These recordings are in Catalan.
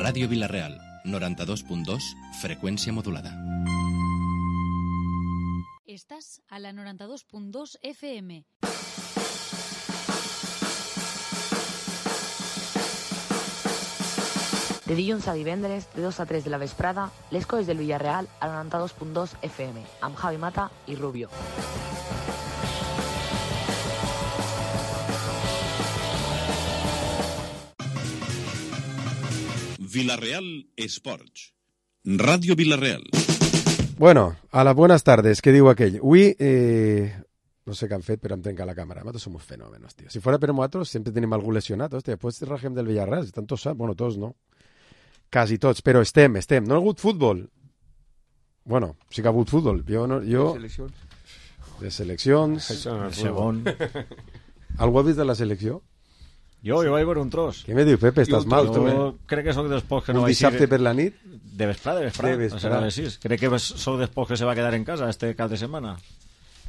Ràdio Vila-real, 92.2, freqüència modulada. Estàs a la 92.2 FM. De dilluns a divendres, de 2 a 3 de la vesprada, les coses del Villarreal a la 92.2 FM, amb Javi Mata i Rubio. Vila-real Esports. Ràdio Vila-real. Bueno, a las buenas tardes, què diu aquell? Avui, no sé què han fet, però em trenca la càmera. Nosaltres som uns fenòmenos, tio. Si fora per nosaltres, sempre tenim algú lesionat. Hòstia, després rajem del Villarreal, estan tots, bueno, tots no. Quasi tots, però estem. No ha hagut futbol. Bueno, sí que ha hagut futbol. De seleccions. Segon. Algú ha vist de la selecció? Jo vaig veure un tros. Què me diu, Pepe? Estàs mal, tu, Jo crec que soc dels pocs que no un vaig dissabte per la nit? De vesprada. A les 6. Crec que soc dels pocs que se va quedar en casa este cap de setmana.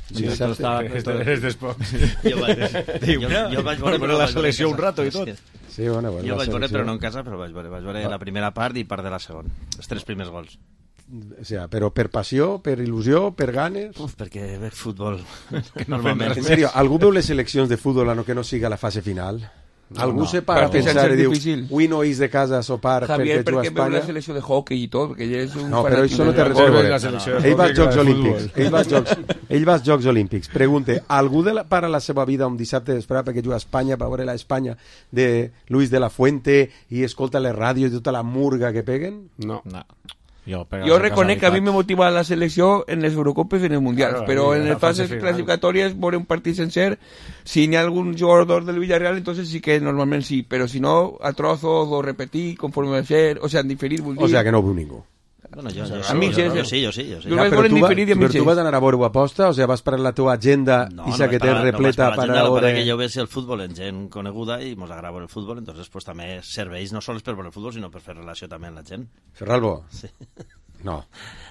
Sí, eres dels pocs. Jo vaig veure la selecció un rato i tot. Sí, bueno, jo vaig veure, però no en casa, però vaig veure la primera part i part de la segona. Els 3 primers gols. O sea, però per passió, per il·lusió, per ganes... Perquè veig futbol. Normalment. En sèrio, algú veu les seleccions de futbol a no que no siga la fase final? Algú se para a pensar i diu avui no eix de casa a sopar Javier, perquè juga a perquè veu Espanya? la selecció de hockey i tot, perquè ell és un no, però això no té res a veure. Ell va als Jocs Olímpics. Ell va als Jocs Olímpics. Pregunte, algú para la seva vida un dissabte d'esperar perquè juga a Espanya, per veure la Espanya de Luis de la Fuente i escolta les ràdios i tota la murga que peguen? No. Jo reconec que a mi me motiva la selecció en les Eurocopes i en els Mundials, però en les fases clasificatòries veure un partit sencer, si n'hi ha algun jugador del Villarreal, entonces sí que normalment sí, però si no, a trozos o repetir conforme va a ser, o sea, en diferir, vull dir... O sea, que no ho veu ningú. Bueno, jo sí. Però tu vas anar a veure-ho aposta? O sigui, vas per la teva agenda i que té repleta per a veure... que jo veig el futbol en gent coneguda i mos agrada veure el futbol, entonces pues també serveix no sols per veure el futbol, sinó per fer relació també amb la gent. Ferralbo? Sí. No.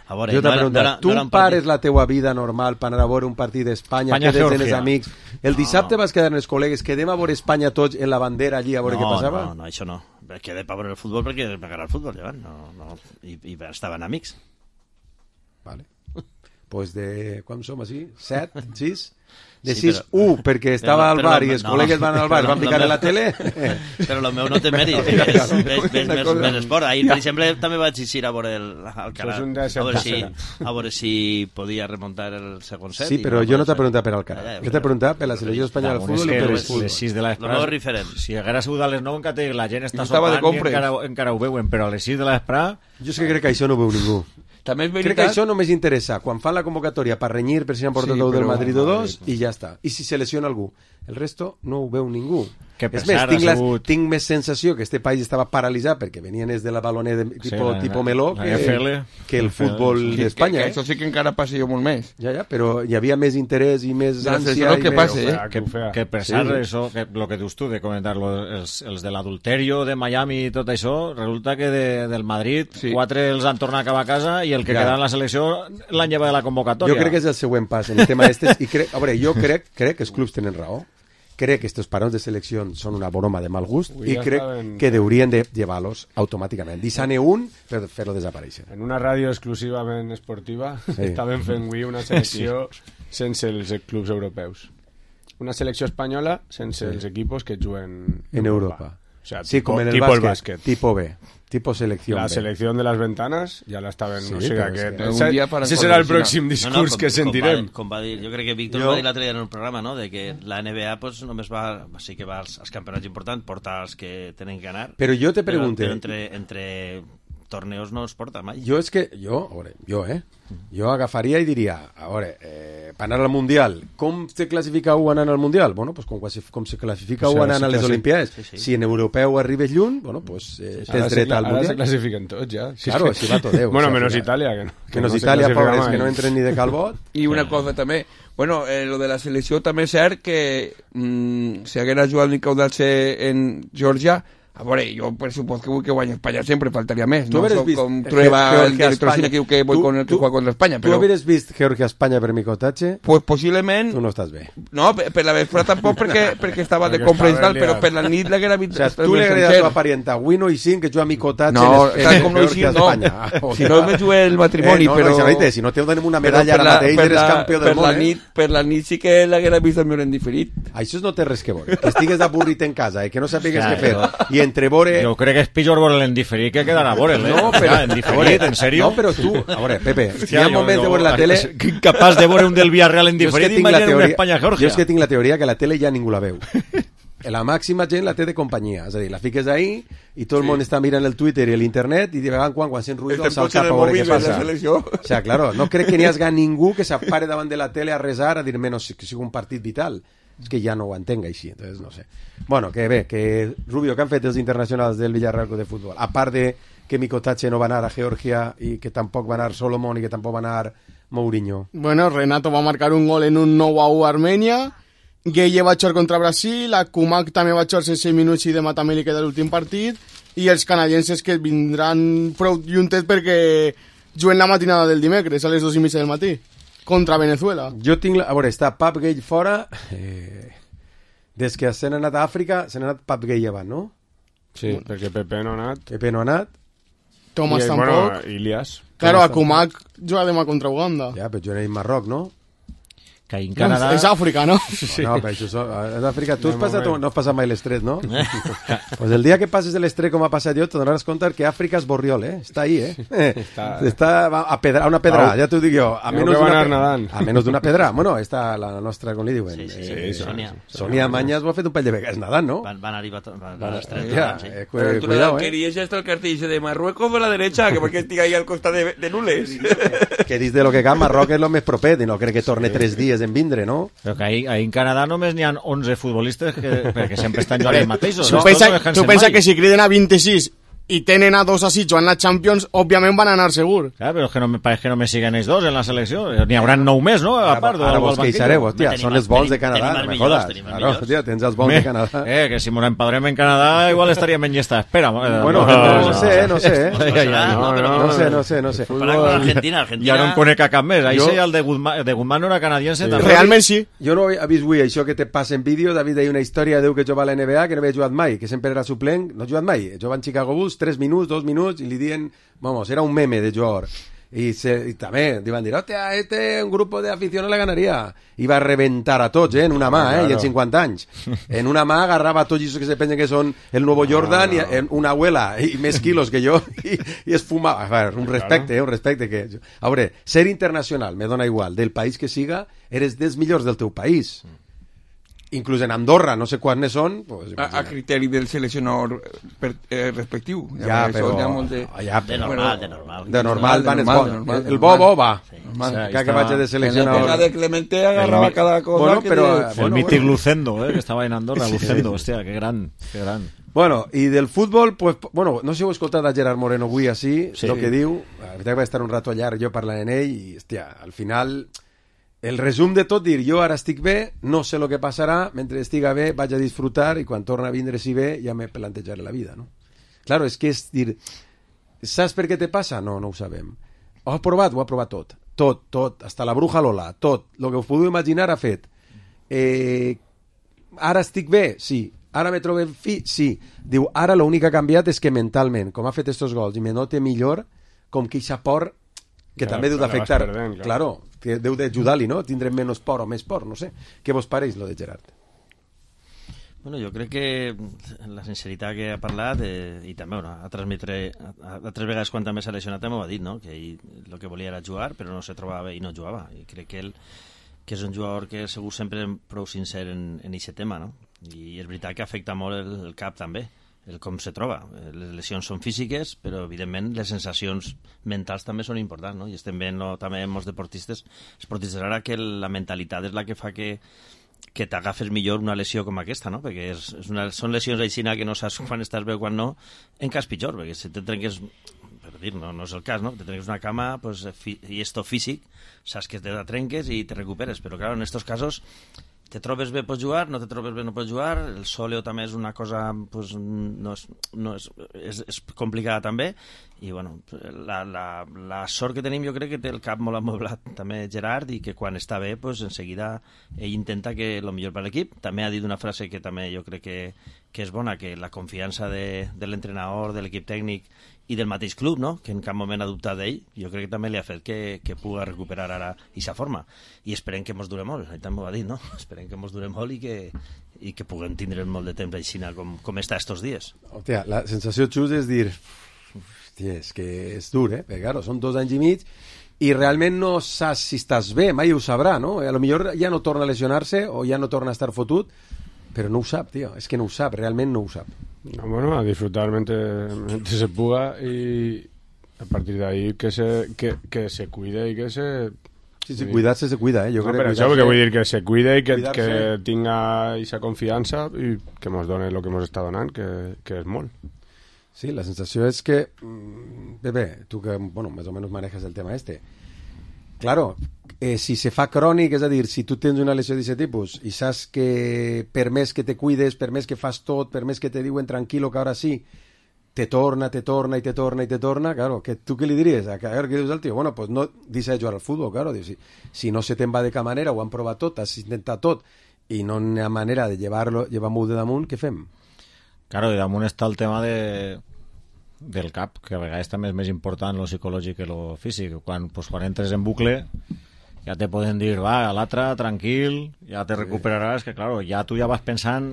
A veure, jo t'he preguntat, tu pares la teua vida normal per anar a veure un partit d'Espanya, quedes amb els amics, el dissabte vas quedar amb els col·legues, quedem a veure Espanya tots en la bandera allí a veure què passava? No, això no. Quedé per veure el futbol perquè m'agrada el futbol, ja, no. I estaven amics. Vale. Pues de... Com som, així? 7? 6? De 6-1, perquè estava al bar i els col·legues van al bar, van picar a la tele. Però el meu no té mèrit, ves més esport. Ahir, per exemple, també vaig eixir a veure el Carat, a veure si podia remuntar el segon set. Sí, però jo no t'he preguntat per al Carat. Jo t'he preguntat per la selecció espanyola del futbol i per el futbol. Les 6 de l'esprà, si haguera sigut a les 9 en Catell, la gent està sopant i encara ho veuen, però a les 6 de l'esprà... Jo és que crec que això no ho veu ningú. També és crec que això només interessa quan fan la convocatòria per renyir per si han portat del Madrid o dos i ja està. I si se lesiona algú. El resto no ho veu ningú. És més, tinc més sensació que este país estava paralitzat perquè venien des de la baloner tipo Meló que el futbol d'Espanya. Això sí que encara passa jo molt més. Ja, però hi havia més interès i més ànsia. Que per cert, això, el que dius tu de comentar-lo, els de l'adulterio de Miami i tot això, resulta que del Madrid 4 els han tornat cap a casa i el que queda en la selecció l'han llevat de la convocatòria. Jo crec que és el següent pas en el tema d'estes i jo crec que els clubs tenen raó. Crec que estos parones de selección son una broma de mal gust i crec que deurien de llevar-los automàticament. Deixar-ne un per fer-lo desaparèixer. En una ràdio exclusivament esportiva estaven fent avui una selecció sense els clubs europeus. Una selecció espanyola sense els equipos que juguen en Europa. O sea, sí, como en el básquet. Tipo B. Tipo selección La B. selección de las ventanas ja l'estaven... Sí, no sé ese serà el pròxim discurs que sentirem. Com va dir, jo crec que Víctor va dir l'altre dia en el programa, no? De que la NBA pues, només sí que va als campionats importants, porta els que tenen que anar. Però jo te pregunto... Però entre torneos no es porta mai. Jo és que... Jo agafaria i diria, a veure, per anar al Mundial, com se classifica un anant al Mundial? Bueno, pues com se classifica un anant a les Olimpiades. Si en europeu arribes lluny, bueno, pues tens dret al Mundial. Ara se classifiquen tots, ja. Claro, si va tot Déu. Bueno, menos Itàlia, que menos Itàlia, pobres, que no entren ni de calbot. I una cosa també, bueno, lo de la selecció també és cert que si haguera jugat Nicau Dalce en Geòrgia, A veure, jo per supos que vull que guanyi Espanya sempre, faltaria més. Tu no hauries soc vist com Trueba, el director cine que diu que vull con el que juega contra Espanya. Tu hauries vist Georgia-Espanya per Micotatge? Pues possiblement... Tu no estàs bé. No, per la vesprada tampoc perquè estava de compra i tal, però per la nit l'haguera vist... O sigui, tu li agradaria a la teva parienta Wino i Sin que juga a Micotatge no, tal com no hi Sin, no. Si no me jugué el matrimoni, però... Si no te donem una medalla ara mateix, eres campió del món, Per la nit sí que l'haguera vist el meu en diferit. Això no té res que veure. Que estigues avorrit en casa i que no sàpigues què fer. I entre vore... Jo crec que és pitjor veure en diferit que quedar a veure, No, però... en diferit, en sèrio? No, però tu... A veure, Pepe, si hi ha moments de veure la tele... Capaç de veure un del Villarreal en diferit, imagina una Espanya-Georgia. Jo és que tinc la teoria que la tele ja ningú la veu. La màxima gent la té de companyia. És a dir, la fiques ahí i tot el món està mirant el Twitter i l'internet i de vegades quan sent ruïdo se'l cap a veure què passa. O sea, claro, no crec que n'hi hagi ningú que s'apare davant de la tele a resar a dir menos que sigui un partit vital. És que ja no ho entenc així, entonces no sé. Bueno, que bé, que Rubio, que han fet els internacionals del Villarreal de Futbol? A part de que Micotatge no va anar a Georgia i que tampoc va anar Solomon i que tampoc va anar Mourinho. Bueno, Renato va marcar un gol en un 9-1 a Armènia, Gueye va jugar contra Brasil, Akumak també va jugar 6 minuts i demà també li queda l'últim partit, i els canadienses que vindran prou juntes perquè juguen la matinada del dimecres a les 2:30 del matí contra Venezuela. Jo tinc... A veure, està Pap Gay fora... Des que s'han anat a Àfrica, s'han anat Pap Gay avant, no? Sí, perquè Pepe no ha anat. Pepe no ha anat. Thomas tampoc. Bueno, Ilias. Claro, Akumak juga demà contra Uganda. Ja, però jo en Marroc, no? Que en Canadà... És Àfrica, no? Sí. No, però això és Àfrica. Tu no has passat mai l'estret, no? Pues el dia que passes l'estret com ha passat jo, t'adonaràs compte que Àfrica és Borriol, Està ahí, Està a una pedra, ja t'ho dic jo. A menys d'una pedra. Bueno, està la nostra, com li diuen? Sí, Sonia. Sonia Mañas ho ha fet un pell de vegades nedant, no? Van arribar a l'estret. Cuidado, querías esto el cartel de Marruecos por la derecha, que porque estic ahí al costat de Nules. Que dius de lo que cal, Marroc és lo més propet, i no crec que torne 3 dies en vindre, no? Però que ahí en Canadà només n'hi ha 11 futbolistes perquè sempre estan jugant els mateixos. Tu pensa que si criden a 26 i tenen a 2 així jugant la Champions, òbviament van anar segur. Clar, però és que pareix que només siguen ells 2 en la selecció. N'hi haurà 9 més, no? A part, ara vos queixareu, hòstia, són els bons de Canadà, no me jodas. Claro, hòstia, tens els bons de Canadà. Que si mos empadrem en Canadà igual estaríem en llista d'espera. Bueno, no sé. No sé. Argentina. Ja no en conec a cap més. Ahí el de Guzmán no era canadiense. Realment sí. Jo no he vist avui això que te passa en vídeo. David deia una història de que jugava a la NBA que no havia jugat mai, que sempre era suplent. No ha jugat mai. Jugava en Chicago Bulls 3 minuts, 2 minuts, i li diuen, vamos, era un meme de jugador. Y también iban a decir, hostia, un grupo de afición la ganaría. Iba a reventar a tots, en una mà, claro. I en 50 anys. En una mà agarrava a tots els que se pensen que són el nuevo Jordan, i en una abuela, i més quilos que jo, i es fumava. A veure, un respecte que... A veure, ser internacional, me dona igual, del país que siga, eres dels millors del teu país. Inclús en Andorra, no sé quants són... Pues, a criteri del seleccionador respectiu. Ja, però... De normal van els bons. El bo va. Que vaig de seleccionador. En la de Clemente agarrava cada cosa. El mític Lucendo, que estava en Andorra. Lucendo, hòstia, que gran. Bueno, i del futbol, pues, bueno, no sé si heu escoltat a Gerard Moreno avui així, el que diu. La veritat que va estar un rato llarg jo parlant en ell i, hòstia, al final... El resum de tot, dir, jo ara estic bé, no sé el que passarà, mentre estiga bé vaig a disfrutar i quan torna a vindre si bé ja me plantejaré la vida, no? Claro, és que és dir, saps per què te passa? No ho sabem. Ho ha provat tot. Tot, hasta la bruja Lola, tot. El que us podeu imaginar ha fet. Ara estic bé? Sí. Ara me trobo sí. Diu, ara l'únic que ha canviat és que mentalment, com ha fet estos gols i me note millor, com que eixa por que també deu d'afectar. Claro, que deu d'ajudar-li, no? Tindrem menys por o més por, no sé. Què vos pareix, lo de Gerard? Bueno, jo crec que la sinceritat que ha parlat i també ha transmetre altres vegades quan també s'ha lesionat també ho ha dit, no? Que ell el que volia era jugar però no se trobava bé i no jugava i crec que ell que és un jugador que segur sempre prou sincer en aquest tema, no? I és veritat que afecta molt el cap també, el com se troba. Les lesions són físiques, però evidentment les sensacions mentals també són importants, no? I estem veient també molts esportistes ara que la mentalitat és la que fa que t'agafes millor una lesió com aquesta, no? Perquè són lesions aixina que no saps quan estàs bé o quan no, en cas pitjor, perquè si te trenques, per dir, no és el cas, no? Te trenques una cama pues, i esto físic, saps que te la trenques i te recuperes, però clar, en estos casos te trobes bé pots jugar, no te trobes bé no pots jugar, el sòleo també és una cosa pues, és complicada també, i bueno, la sort que tenim jo crec que té el cap molt amoblat també Gerard, i que quan està bé pues, enseguida ell intenta que el millor per l'equip. També ha dit una frase que també jo crec que és bona, que la confiança de l'entrenador, de l'equip tècnic i del mateix club, no? Que en cap moment ha dubtat d'ell, jo crec que també li ha fet que pugui recuperar ara aquesta forma, i esperem que mos dure molt, ell també ho ha dit, no? Esperem que mos dure molt i que puguem tindre molt de temps així com està estos dies. Hòstia, la sensació, Xus, és dir hòstia, és que és dur, perquè claro, són 2 anys i mig i realment no saps si estàs bé, mai ho sabrà, no? A lo millor ja no torna a lesionar-se o ja no torna a estar fotut, però no ho sap, tío, és que no ho sap, realment no ho sap. No, bueno, a disfrutar mientras se pueda, y a partir de ahí que se cuide y que se... Sí, cuidarse se cuida, yo creo que... Això que vull dir, que se cuide i que tinga esa confiança i que mos done el que mos està donant, que és molt. Sí, la sensació és que... Pepe, tu que, bueno, més o menys manejas el tema claro, si se fa crònic, és a dir, si tu tens una lesió d'aquest tipus i saps que per més que te cuides, per més que fas tot, per més que te diuen tranquilo que ara sí, te torna, claro, que tu què li diries? A veure, què dius al tio? Bueno, pues no deixa de jugar al futbol, claro, si no se te'n va de cap manera, ho han provat tot, has intentat tot, i no hi ha manera de llevar-m'ho de damunt, què fem? Claro, i damunt està el tema del cap, que a vegades també és més important lo psicològic que lo físic. Quan entres en bucle ja te poden dir, va, l'altre, tranquil, ja te recuperaràs, que claro, ja tu ja vas pensant,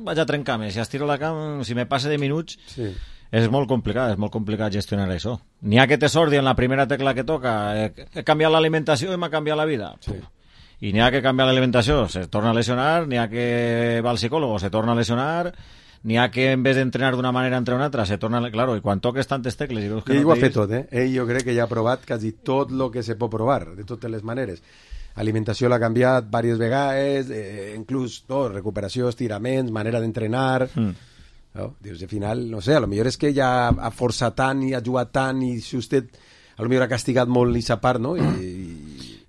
vaig a trencar-me, si estiro la cama, si me passe de minuts, és molt complicat gestionar això. N'hi ha que te sordi en la primera tecla que toca, he canviat l'alimentació i m'ha canviat la vida. I n'hi ha que canviar l'alimentació, se torna a lesionar, n'hi ha que va al psicòleg, se torna a lesionar, n'hi ha que en vez d'entrenar d'una manera entre una altra se torna, claro, i quan toques tantes tecles i veus que ell ho ha fet tot, ell jo crec que ja ha provat quasi tot el que se pot provar de totes les maneres, alimentació l'ha canviat diverses vegades, inclús recuperació, estiraments, manera d'entrenar, no? Dius, al final, no sé, a lo millor és que ja ha forçat tant i ha jugat tant i si usted a lo millor ha castigat molt aquesta part, no?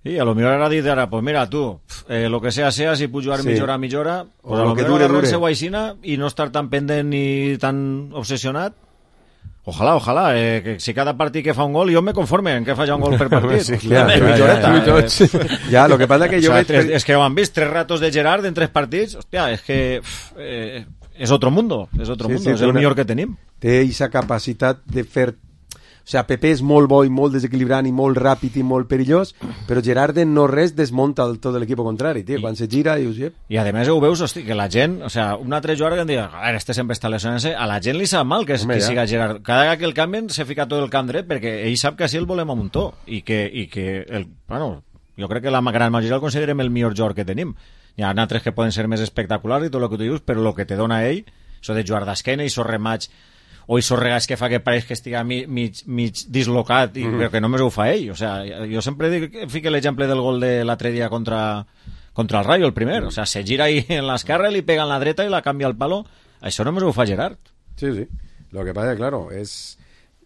I a lo millor ara dit ara, pues mira, tu, lo que sea, si puc jugar mitja hora, pues a lo millor agarrar-se guaixina i no estar tan pendent ni tan obsessionat. Ojalà, que si cada partit que fa un gol, jo me conforme en que faci un gol per partit. Sí, clar, ja, lo que passa que jo veig... És que ho han vist 3 ratos de Gerard en 3 partits, hòstia, és que és otro mundo, és el millor que tenim. Té aquesta capacitat de fer... O sigui, Pepe és molt bo i molt desequilibrant i molt ràpid i molt perillós, però Gerard no res desmunta tot l'equip contrari, tio. Quan se gira dius... I a més ho veus, hosti, que la gent, o sigui, un altre jugador que em diu, a veure, este sempre està lesionant-se, a la gent li sap mal que siga Gerard. Cada vegada que el canvien se fica tot el camp dret perquè ell sap que així el volem a muntó i que bueno, jo crec que la gran majoria el considerem el millor jugador que tenim. Hi ha altres que poden ser més espectaculars i tot el que tu dius, però el que te dona ell, això de jugar d'esquena i so rematx o i sorregats que fa que pareix que estiga mig dislocat, però que només ho fa ell. O sea, jo sempre fico l'exemple del gol de l'altre dia contra el Rayo, el primer. O sea, se gira ahí en l'esquerra, li pega en la dreta i la canvia al palo. Això només ho fa Gerard. Sí. Lo que pasa, claro, és...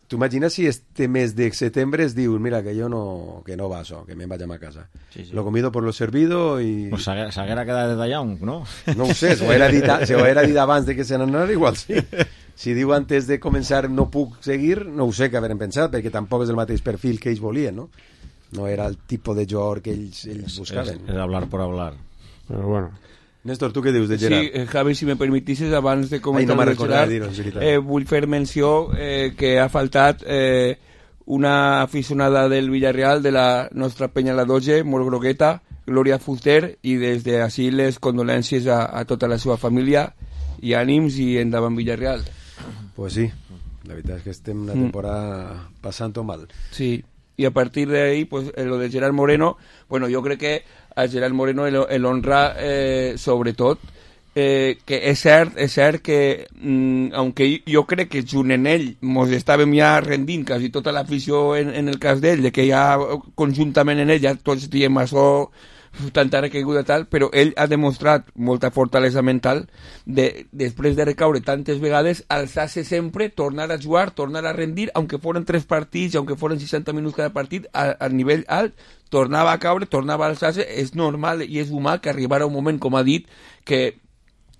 Tu imagines si este mes de setembre es diu, mira, que jo que no va això, que me'n vaig a casa. Sí. Lo comido por lo servido i... Pues s'haguera quedat de Young, no? No ho sé, si ho era dit abans de que se n'anara, igual sí. Si diu antes de començar no puc seguir, no ho sé què haurem pensat, perquè tampoc és el mateix perfil que ells volien, no? No era el tipus de jugador que ells buscaven. És hablar por hablar. Però bueno... Néstor, tu què dius de Gerard? Sí, Javi, si me permetissis, abans de comentar de Gerard, vull fer menció que ha faltat una aficionada del Villarreal, de la nostra penya la Doge, molt grogueta, Glòria Fuster, i des d'ací les condolències a tota la seva família i ànims i endavant Villarreal. Pues sí, la veritat és que estem una temporada passant-ho mal. Sí, y a partir de ahí, pues lo de Gerard Moreno, bueno, yo creo que a Gerard Moreno el honra sobretot, que és cert que aunque jo crec que junt en ell mos estàvem ja rendint quasi tota l'afició en el cas d'ell, de que ja conjuntament en ell ja tots diem això tanta recaiguda tal, però ell ha demostrat molta fortalesa mental després de recaure tantes vegades, alçar-se sempre, tornar a jugar, tornar a rendir, aunque foren 3 partits, aunque foren 60 minuts cada partit, a nivell alt, tornava a caure, tornava a alçar-se. És normal i és humà que arribara un moment, com ha dit, que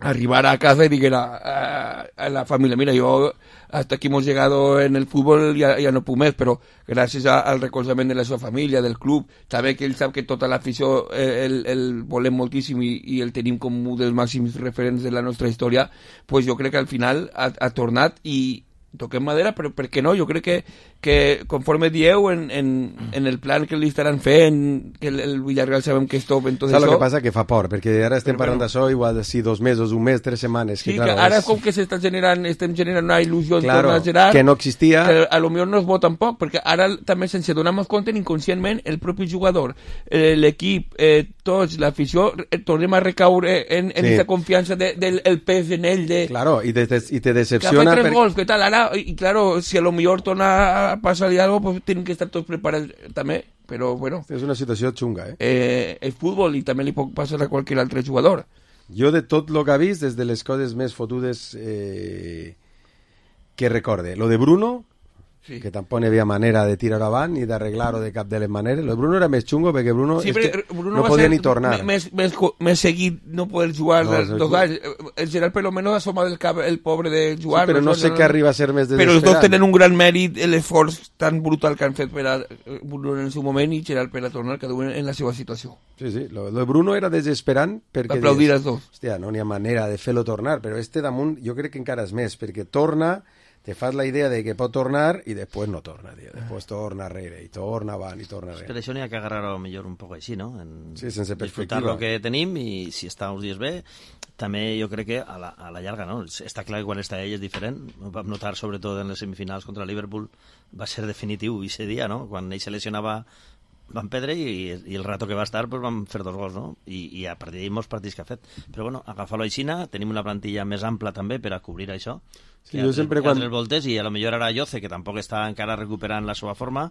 arribara a casa y dijera a la familia, mira, yo hasta aquí hemos llegado en el fútbol, ya no puc més, però gràcies al recolzament de la seva família, del club, també que ell sap que tota l'afició el volem moltíssim i el tenim com un dels màxims referents de la nostra història, pues jo crec que al final ha tornat i toquem madera, però per què no? Jo crec que conforme dieu en el plan que li estaran fent, que el Villarreal sabem que és top en tot això... Saps el que passa? Que fa por, perquè ara estem parlant d'això igual de 2 mesos, un mes, 3 setmanes... Sí, que ara com que estem generant una il·lusió en torno a Gerard... que no existia... Que a lo millor no es veu tampoc, perquè ara també sense donar-nos compte, inconscientment, el propi jugador, l'equip, tots, l'afició, tornem a recaure en aquesta confiança del pes en ell de... Claro, i te decepciona... Que ha fet 3 gols, què tal? Ara, y claro, si a lo mejor torna a pasar algo, pues tienen que estar todos preparados también, pero bueno. És una situació xunga, és futbol i també li pot passar a qualsevol altre jugador. Jo de tot el que ha vist, des de les coses més fotudes que recorde. Lo de Bruno, sí, que tampoc hi havia manera de tirar avant ni d'arreglar-ho de cap de les maneres. Lo de Bruno era més xungo perquè Bruno, sí, Bruno no podia ni tornar. Més seguit no poder jugar dos anys. El Gerard per lo menos assoma del cap el pobre de jugar. Sí, però no sé què arriba a ser més desesperant. Però els dos tenen un gran mèrit, l'esforç tan brutal que han fet per a Bruno en el seu moment i Gerard per a tornar cada un en la seva situació. Sí, sí, lo de Bruno era desesperant perquè... Aplaudir els dos. Hòstia, no n'hi ha manera de fer-lo tornar, però damunt jo crec que encara és més, perquè torna... te fas la idea de que pot tornar i després no torna, tío. Després torna rere i torna avant i torna rere. Per això n'hi ha que agarrar-ho millor un poc així, no? Sí, sense perspectiva. Disfrutar el que tenim i si està uns dies bé, també jo crec que a la llarga, no? Està clar que quan està ell és diferent. Ho vam notar sobretot en les semifinals contra Liverpool, va ser definitiu aquest dia, no? Quan ell se lesionava van perdre i el rato que va estar pues van fer 2 gols, no? I a partir d'ahir molts partits que ha fet. Però bueno, agafar-lo així, tenim una plantilla més ampla també per a cobrir això. Sí, jo sempre quan... voltes, i a lo millor ara Yoce, que tampoc està encara recuperant la seva forma,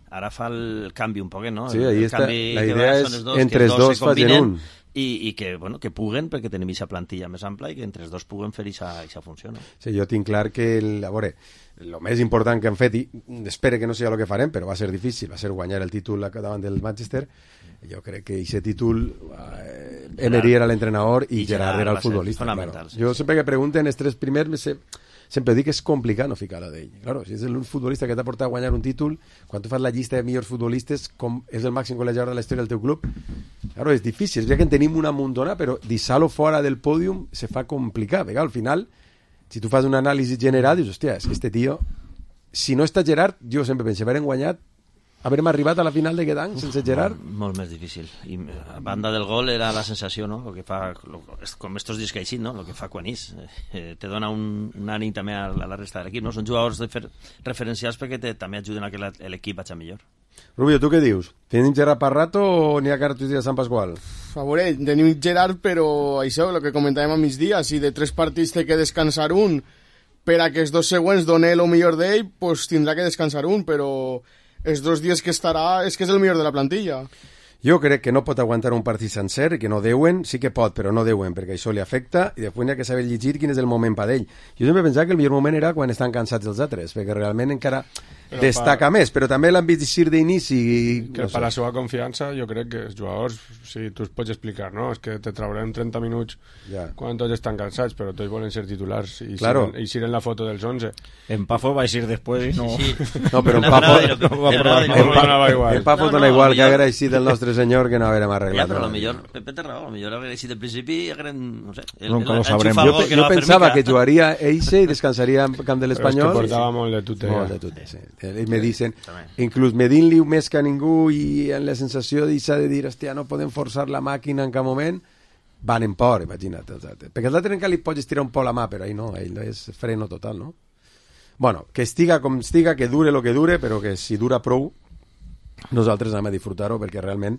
ara fa el canvi un poquet, no? Sí, ahí està. La idea és entre els dos facin un. I que, bueno, que puguen, perquè tenim aquesta plantilla més ampla i que entre els dos puguen fer aquesta funció, no? Sí, jo tinc clar que, a veure, el més important que han fet, i espero que no sigui el que farem, però va ser difícil, va ser guanyar el títol davant del Manchester. Jo crec que aquest títol Emery era l'entrenador i Gerard era el futbolista. Claro. Jo sempre que pregunten els 3 primers sempre dic que és complicat no ficar-la d'ell. Claro, si és el futbolista que t'ha portat a guanyar un títol, quan tu fas la llista de millors futbolistes, com és el màxim golejador de la història del teu club, claro, és difícil. És veritat que en tenim una muntona, però deixar-lo fora del pòdium se fa complicat. Perquè al final, si tu fas un anàlisi general, dius, hòstia, és que este tio, si no està Gerard, jo sempre penso, haurem guanyat, haurem arribat a la final de aquest any sense Gerard? Molt més difícil. I a banda del gol era la sensació, no? Lo que fa, com estos dies que així, no? Lo que fa quan és. Te dona un ànim també a la resta de l'equip, no? Són jugadors referencials perquè també ajuden a que l'equip vagi millor. Rubio, tu què dius? Tenim Gerard per rato o n'hi ha cartes de Sant Pasqual? A veure, tenim Gerard, però això, el que comentàvem a migdia, si de 3 partits té que descansar un per a que els 2 següents doni el millor d'ell, pues tindrà que descansar un, però els 2 dies que estarà és que és el millor de la plantilla. Jo crec que no pot aguantar un partit sencer i que no deuen, sí que pot, però no deuen, perquè això li afecta i després n'hi ha que saber llegir quin és el moment per ell. Jo sempre pensava que el millor moment era quan estan cansats els altres, perquè realment encara destaca més, però també l'han vist dir d'inici. Que per la seva confiança jo crec que els jugadors, sí, tu es pots explicar, no? És que te traurem 30 minuts quan tots estan cansats, però tots volen ser titulars i xiren la foto dels 11. En Pafo va a ir després i no... No, però en Pafo dona igual que haguera eixit el nostre senyor que no haguérem arreglat. Ja, però Pepe té raó, potser haguera eixit del principi i haguérem, no sé... Jo pensava que jugaria Eixe i descansaria en camp de l'Espanyol. Però és que portava molt de tute. Molt de tute, sí. I me dicen, inclús medint-li més que a ningú i en la sensació de dir, hòstia, no podem forçar la màquina en cap moment, van en por, imagina't. Perquè l'altre encara li pots estirar un poc la mà, però ell no és freno total, no? Bueno, que estiga com estiga, que dure el que dure, però que si dura prou, nosaltres anem a disfrutar-ho, perquè realment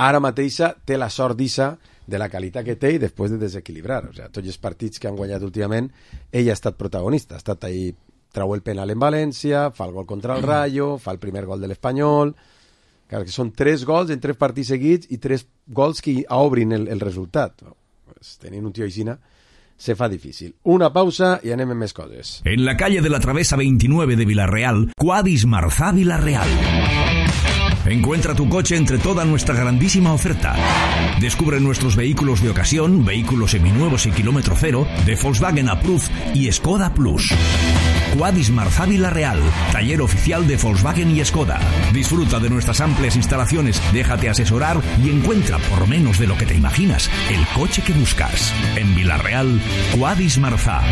ara mateixa té la sort d'issa de la qualitat que té i després de desequilibrar. O sigui, tots els partits que han guanyat últimament, ell ha estat protagonista, ha estat ahí, trau el penal en València, fa el gol contra el Rayo, fa el primer gol de l'Espanyol, Clar, que són 3 gols en 3 partits seguits i 3 gols que obrin el resultat. Pues, tenint un tio així se fa difícil. Una pausa i anem amb més coses. En la calle de la Travesa 29 de Villarreal, Quadis Marzá Villarreal. Encuentra tu coche entre toda nuestra grandísima oferta. Descubre nuestros vehículos de ocasión, vehículos seminuevos y kilómetro cero, de Volkswagen Approved y Skoda Plus. Quadis Marzá Villarreal, taller oficial de Volkswagen y Skoda. Disfruta de nuestras amplias instalaciones, déjate asesorar y encuentra por menos de lo que te imaginas el coche que buscas. En Villarreal, Quadis Marzá.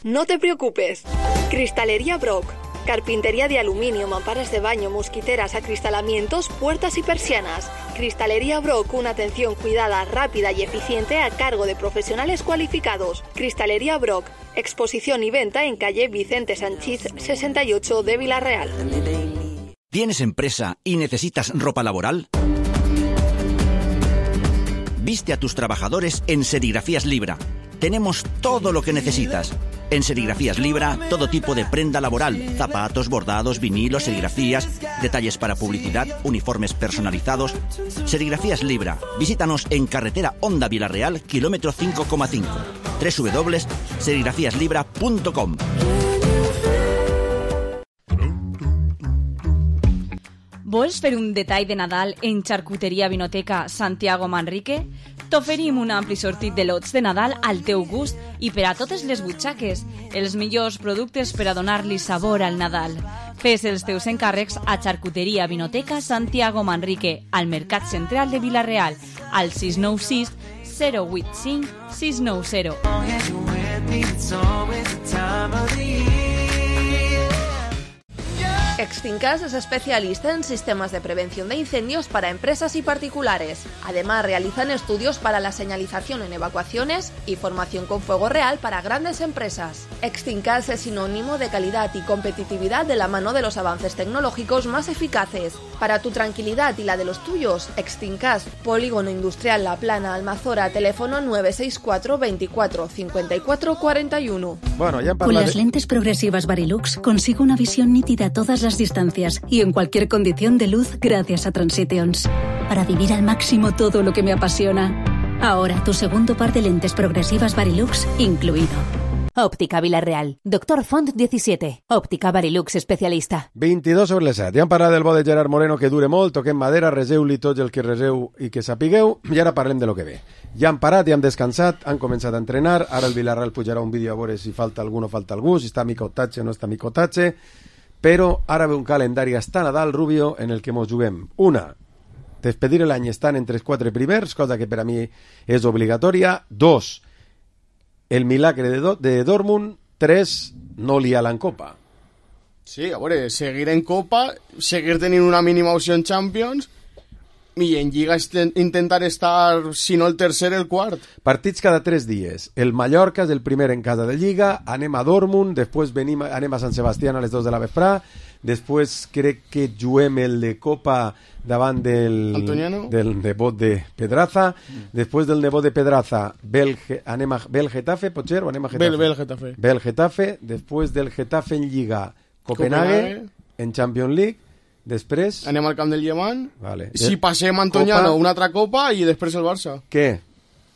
No te preocupes. Cristalería Brock. Carpintería de aluminio, mamparas de baño, mosquiteras, acristalamientos, puertas y persianas. Cristalería Brock, una atención cuidada, rápida y eficiente a cargo de profesionales cualificados. Cristalería Brock, exposición y venta en calle Vicente Sanchís 68 de Villarreal. ¿Tienes empresa y necesitas ropa laboral? Viste a tus trabajadores en Serigrafías Libra. Tenemos todo lo que necesitas. En Serigrafías Libra, todo tipo de prenda laboral, zapatos, bordados, vinilos, serigrafías, detalles para publicidad, uniformes personalizados. Serigrafías Libra. Visítanos en carretera Honda Villarreal, kilómetro 5,5. www.serigrafiaslibra.com. Vols fer un detall de Nadal en Xarcuteria Vinoteca Santiago Manrique? T'oferim un ampli sortit de lots de Nadal al teu gust i per a totes les butxaques. Els millors productes per a donar-li sabor al Nadal. Fes els teus encàrrecs a Xarcuteria Vinoteca Santiago Manrique, al Mercat Central de Villarreal, al 696 085 690. Extincas es especialista en sistemas de prevención de incendios para empresas y particulares. Además, realizan estudios para la señalización en evacuaciones y formación con fuego real para grandes empresas. Extincas es sinónimo de calidad y competitividad de la mano de los avances tecnológicos más eficaces. Para tu tranquilidad y la de los tuyos, Extincas, Polígono Industrial La Plana, Almazora, teléfono 964 24 54 41. Bueno, ya Con las lentes progresivas Varilux consigo una visión nítida a todas las distancias y en cualquier condición de luz gracias a Transitions. Para vivir al máximo todo lo que me apasiona. Ahora tu segundo par de lentes progresivas Varilux incluido. Òptica Villarreal. Doctor Font 17. Òptica Varilux especialista. 22 sobre les 7. Ja hem parlat del bo de Gerard Moreno, que dure molt, toquem madera, reseu-li tots el que reseu i que sapigueu, i ara parlem de lo que ve. Ja han parat, ja han descansat, han començat a entrenar, ara el Villarreal pujarà un vídeo a veure si falta algú o falta algú, si està Micotatge o no està Micotatge, però ara ve un calendari hasta Nadal, Rubio, en el que mos juguem. Una, despedir l'any estant entre els 4 primers, cosa que per a mi és obligatòria. 2, el milagre de Dortmund. 3, no liar-la en Copa. Sí, a veure, seguir en Copa, seguir tenint una mínima opció en Champions i en Lliga intentar estar, si no el tercer, el quart. Partits cada 3 dies. El Mallorca és el primer en casa de Lliga, anem a Dortmund, després anem a Sant Sebastián a les 2 de la vesprà, després crec que juguem el de Copa davant del nebot de Pedraza, després del nebot de Pedraza anem a Bel Getafe, potser, o anem a Getafe? Bel Getafe, després del Getafe en Lliga Copenhague, en Champions League, després anem al camp del Llevant, vale. Si passem Antoniano, una altra Copa i després el Barça. Què?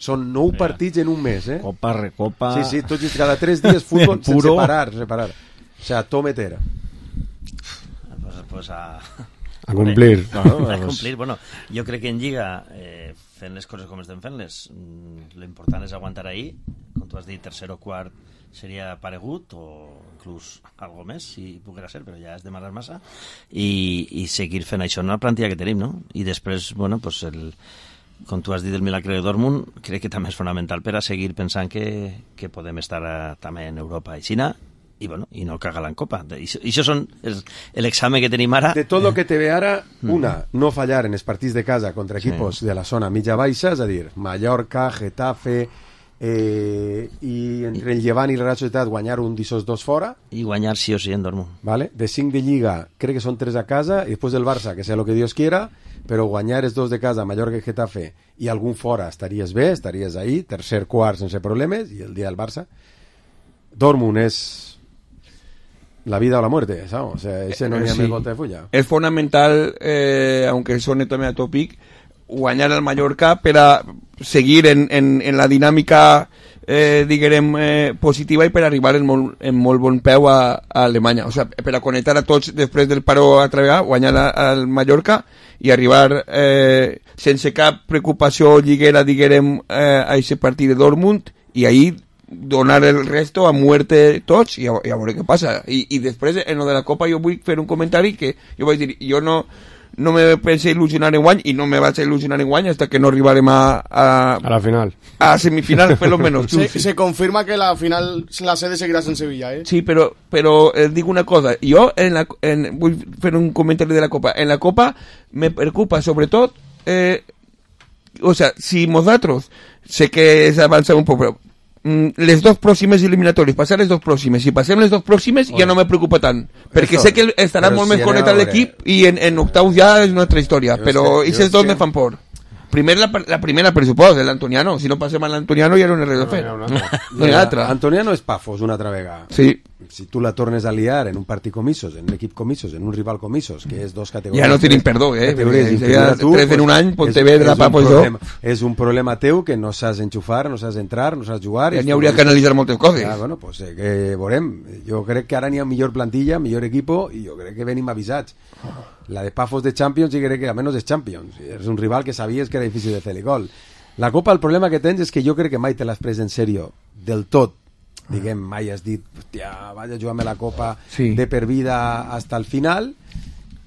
Són 9 partits en un mes, eh? Copa, recopa... Sí, tots cada 3 dies futbol sense parar. O sea, tometera. Pues a cumplir. A cumplir. Bueno, jo crec que en Lliga, fent les coses com estem fent-les, l'important és aguantar ahí. Com tu has dit, tercer o quart seria paregut, o inclús algo més, si poguera ser, però ja és demanar massa, i seguir fent això en la plantilla que tenim, no? I després, bueno, pues com tu has dit, el milagre de Dortmund, crec que també és fonamental per a seguir pensant que podem estar també en Europa i Xina, i bueno, i no cagar-la en Copa. I això són l'examen que tenim ara. De tot el que te ve ara, una, no fallar en els partits de casa contra equipos de la zona mitja-baixa, és a dir, Mallorca, Getafe, i entre el Llevant i la Real Societat guanyar un d'ixos 2 fora. I guanyar sí o sí en Dortmund. Vale. De 5 de Lliga, crec que són 3 a casa, i després del Barça, que sea lo que Dios quiera, però guanyar els 2 de casa, Mallorca i Getafe, i algun fora, estaries bé, estaries ahí, tercer, quart, sense problemes, i el dia del Barça. Dortmund és la vida o la muerte, ¿sabes? O sea, ese no n'hi ha més volta de fulla. És fonamental, aunque sone també a tòpic, guanyar al Mallorca per a seguir en la dinàmica diguem positiva i per arribar en molt bon peu a Alemanya, o sigui, per a connectar a tots després del paró a treballar, guanyar al Mallorca i arribar sense cap preocupació lliguera, diguem, a aquest partit de Dortmund, i ahir donar el resto a muerte tots i a veure què passa. I després en lo de la Copa jo vull fer un comentari que jo vaig dir, jo no me pensé il·lusionar en guany i no me vaig a il·lusionar en guany hasta que no arribarem a la final, a semifinal per lo menos. Se confirma que la final la sede seguirá en Sevilla, ¿eh? Sí, pero digo una cosa, yo vull fer un comentari de la Copa. En la Copa me preocupa sobretot o sea, si nosaltres sé que és avançar un poc, però les dos pròximes eliminatòries, passar les dos pròximes, si passem les dos pròximes ja no me preocupa tant, perquè sé que estarà molt més connectat l'equip i en octaus ja és una altra història, però aquests dos me fan por. Primer la primera, per suposo, l'Antoniano. Si no passem a l'Antoniano ja no n'hi ha res a fer. No hi ha altra. Antoniano és Pafos una altra vegada. Sí. Si tu la tornes a liar en un partit comissos, en un equip comissos, en un rival comissos, que és dos categories... Ja no tenim perdó, Tres en un any, Pontevedra, Papo i jo. És un problema teu que no saps enxufar, no saps entrar, no saps jugar... Ja n'hi hauria que analitzar moltes coses. Ja, bueno, pues que veurem. Jo crec que ara n'hi ha millor plantilla, millor equipo, i jo crec que venim avisats. La de Pafos de Champions i crec que almenys és Champions. És un rival que sabies que era difícil de fer-li gol. La Copa, el problema que tens és que jo crec que mai te l'has pres en sèrio del tot. Diguem, mai has dit, hòstia, vaig a jugar-me la Copa de per vida hasta el final,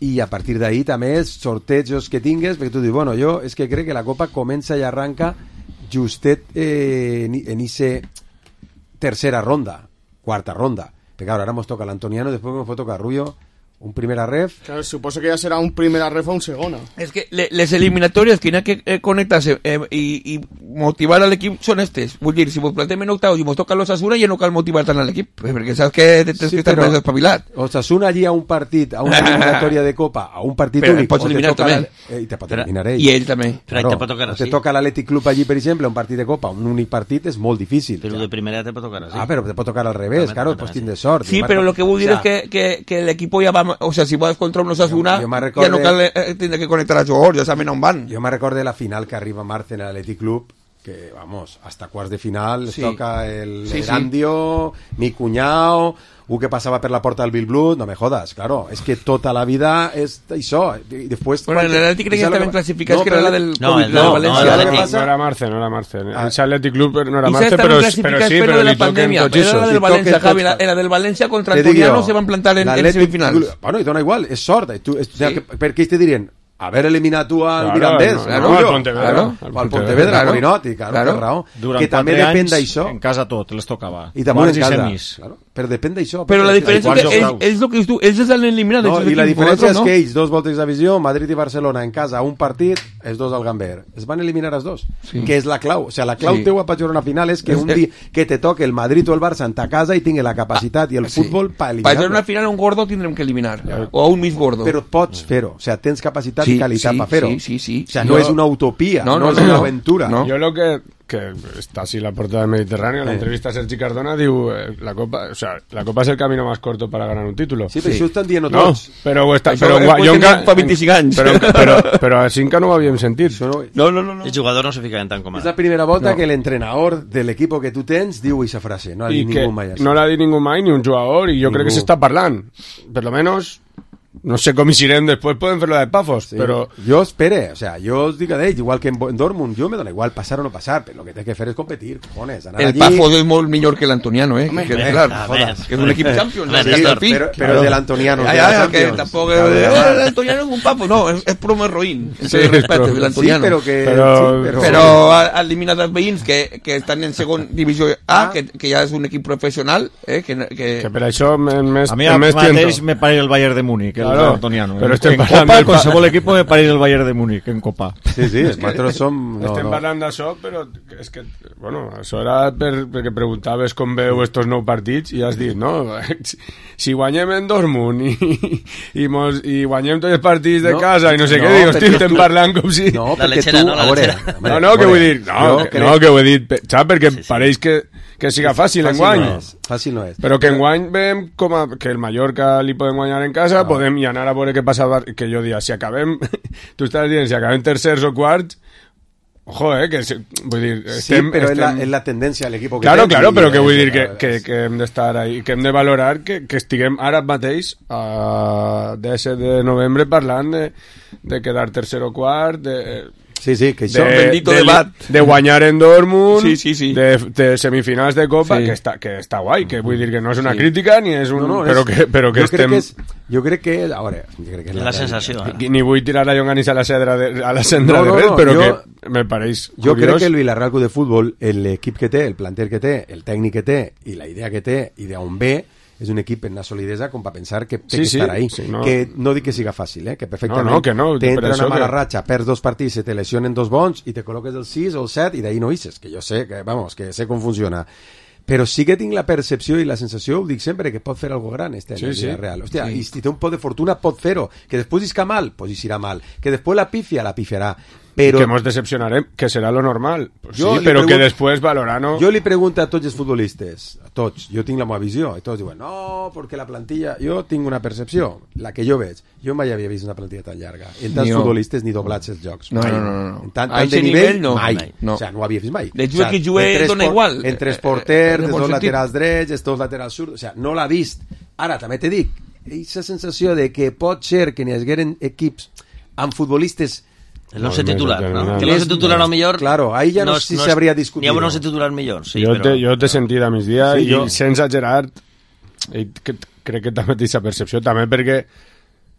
i a partir d'ahí també els sortejos que tingues, perquè tu dius, bueno, jo és que crec que la Copa comença i arranca justet en ese tercera ronda, quarta ronda, perquè ara mos toca l'Antoniano, després mos pot tocar Rubio, un primera ref. Claro, suposo que ya será un primera ref o un segona. Es que les eliminatorias que hay que conectarse y motivar al equipo son estes. Vull dir, si vos plantem en octavos y vos toca los Osasuna, ya no cal motivar tant al equip, perquè saps que tens que estar més espavilat. Osasuna allí a un partit, a una eliminatòria de Copa, a un partit únic, pots eliminar també. I te pot eliminar ell. I ell també. Claro, te pot tocar así. Te toca l'Atlètic Club allí, per exemple, un partit de Copa, un únic partit és molt difícil. Però de primera te pot tocar así. Ah, però te pot tocar al revés, claro, pues tindre sort. Sí, pero lo que vull dir es que el equipo ya va, o sea, si vas contra un Osasuna, ja no cal tindre que conectar a jugadors, ja saben on van. Jo me recorde la final que arriba Marce en l'Atlètic Club, que, vamos, hasta quarts de final toca el Erandio, mi cuñao, que pasaba per la porta del Bilblut, no me jodas, claro, es que tota la vida és això, i després... Bueno, en l'Atlètic crec que estaven classificats, que era la del València. No era Marce, en l'Atlètic Club no era Marce, però sí, però li toquen tots això. Era la del València, Javi, era del València contra Antoniano, se van plantar en semifinals. Bueno, i dona igual, és sort, per què te dirien? Haver eliminat tu al Mirandés, al Pontevedra, al Pontevedra, al Morinoti, claro. Durant 4 anys en casa tot les tocava. I també en casa, però depèn d'això. Però la diferència és que ells el que tu, ells han eliminat. I la diferència és que ells, dos voltes de visió, Madrid i Barcelona en casa, un partit, els dos al Gamber. Es van eliminar els dos, que és la clau. O sigui, la clau teua per jugar una final és que un dia que te toque el Madrid o el Barça en ta casa i tingui la capacitat i el futbol per eliminar. Per jugar una final un gordo tindrem que eliminar, o un mig gordo. Però pots fer-ho, o sigui, tens capacitat i qualitat per fer-ho. Sí. O sea, no es una utopía, no es una aventura. Yo lo que está así la portada del Mediterráneo, la entrevista a Sergi Cardona, diu, la Copa es el camino más corto para ganar un título. Sí, però això estan dient tots. Però fa 25 anys. Però a Cinca no ho havíem sentit. No. El jugador no se fica en tan com ara. És la primera volta que l'entrenador de l'equip que tu tens diu aquesta frase. No l'ha dit ningú mai. No l'ha dit ningú mai, ni un jugador, i jo crec que s'està parlant. Per lo menos... No sé com hi irem després, poden fer-lo de Pafos, però... Jo espere, o sea, jo us dic a d'ells, igual que en Dortmund, jo me dona igual passar o no passar, però el que té que fer és competir, cojones, anar allí... El Pafos és molt millor que l'Antoniano, que és un equip Champions, però de l'Antoniano. Que tampoc... L'Antoniano és un Pafos, no, és promo roïn, el respecte de l'Antoniano. Però ha eliminat els veïns que estan en segon divisió A, que ja és un equip professional, que per això a mi mateix me pare el Bayern de Múnich, el Antoniano. Però en Copa, qualsevol equip de París el Bayern de Múnich, en Copa. Sí, nosaltres som... Estem parlant d'això, però és que, bueno, això era perquè preguntaves com veu estos 9 partits i has dit, no, si guanyem en Dortmund i guanyem tots els partits de casa i no sé què, dic, hosti, estem parlant com si... No, perquè tu... No, que vull dir, no, que ho he dit, saps? Perquè pareix que siga fàcil enguany. Fàcil no és. Però que enguany veiem com que el Mallorca li podem guanyar en casa, podem i anar a veure què passa, que jo dia, si acabem, tu estàs dient, si acabem tercers o quarts, ojo, que vull dir... Sí, però és la tendència a l'equip que Claro, però que vull dir que hem d'estar ahí, que hem de valorar que estiguem ara mateix, a 17 de novembre, parlant de quedar tercer o quart, Sí, que això... bendito debat. De guanyar en Dortmund, sí. De semifinals de Copa, que està guai, que vull dir que no és una crítica, ni és un... però que estem... Jo crec que... A veure, és la sensació. Ni vull tirar la llonganissa a la cendra de res, però que me pareix jo crec que el Villarreal Club de Futbol, l'equip que té, el planter que té, el tècnic que té, i la idea que té, i d'on ve, és un equip en una solidesa com per pensar que té que estar ahí. Sí, que no dic que siga fàcil, que perfectament t'entra una mala ratxa, perds 2 partits, se te lesionen 2 bons i te col·loques el 6 o el 7 i d'ahí no ixes, que jo sé, que sé com funciona. Però sí que tinc la percepció i la sensació, ho dic sempre, que pot fer algo gran este any Villarreal. Hòstia, i si té un pot de fortuna pot fer-ho. Que després isca mal, pues irà mal. Que després la pifiarà. Pero... que mos decepcionarem, que serà lo normal. Pues sí, però que després valorant... Jo li pregunto a tots els futbolistes, a tots, jo tinc la meva visió, i tots diuen, no, perquè la plantilla... Jo tinc una percepció, la que jo veig. Jo mai havia vist una plantilla tan llarga. En tants futbolistes ni doblats els jocs. No. En tant de nivell, mai. O sigui, no ho havia vist mai. De jugar que jugué dona igual. Entre els porters, els 2 laterals drets, els 2 laterals surts... O sigui, no l'ha vist. Ara, també te dic, aquesta sensació de que pot ser que n'hi hagueren equips amb futbolistes... El 11 titular, ¿no? Que el 11 titular a lo mejor... Claro, ahí ya no sé si se habría discutido. Ni a un 11 titular millor, sí, jo t'he sentit a migdia i sense exagerar crec que també té aquesta percepció, també perquè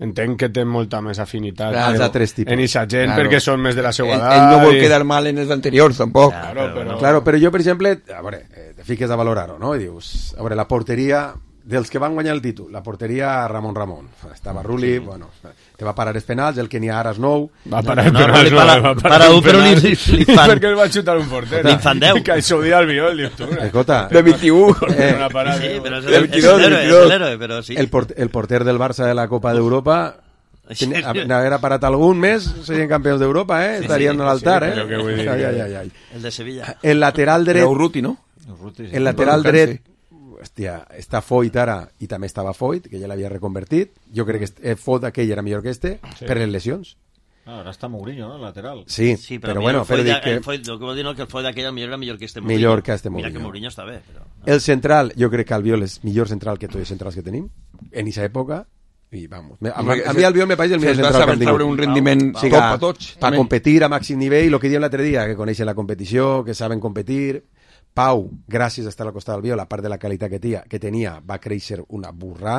entenc que té molta més afinitat en aquesta gent, perquè són més de la seva edat. Ell no vol quedar mal en els anteriors, tampoc. Claro, però jo, per exemple, a veure, te fiques a valorar-ho, no? I dius, a veure, la porteria... dels que van guanyar el títol, la porteria Ramon. Estava Rulli, bueno, te va parar els penals, el que n'hi ha ara és nou. Va parar els penals, para un, però li fan... perquè el va xutar un porter. Li fan 10. Que això ho dia al Viol, dius tu. Escolta. De 21. Sí, però és l'héroe, però sí. El porter del Barça de la Copa d'Europa... n'haguera parat algun més, serien campions d'Europa, estarien a l'altar, El de Sevilla. El lateral dret... El Urruti, no? El lateral dret... Hòstia, està Foyt ara, i també estava Foyt, que ja l'havia reconvertit. Jo crec que Foyt aquell era millor que per les lesions. Ara està Mourinho, ¿no? Lateral. Sí, però bueno, però dic que... Lo que vol dir que el Foyt aquell era millor que este Mourinho. Millor que este Mourinho. Mira que Mourinho està bé. Però... El central, jo crec que Albiol és millor central que tots els centrals que tenim, en aquesta època, i vamos. A mi Albiol me pareix el millor central que han tingut. Un rendiment top a tots. Per competir a màxim nivell, el que diem l'altre dia, que coneixen la competició, que saben competir... Pau, gràcies a estar al costat del Biol, a part de la qualitat que tenia, va créixer una burrà.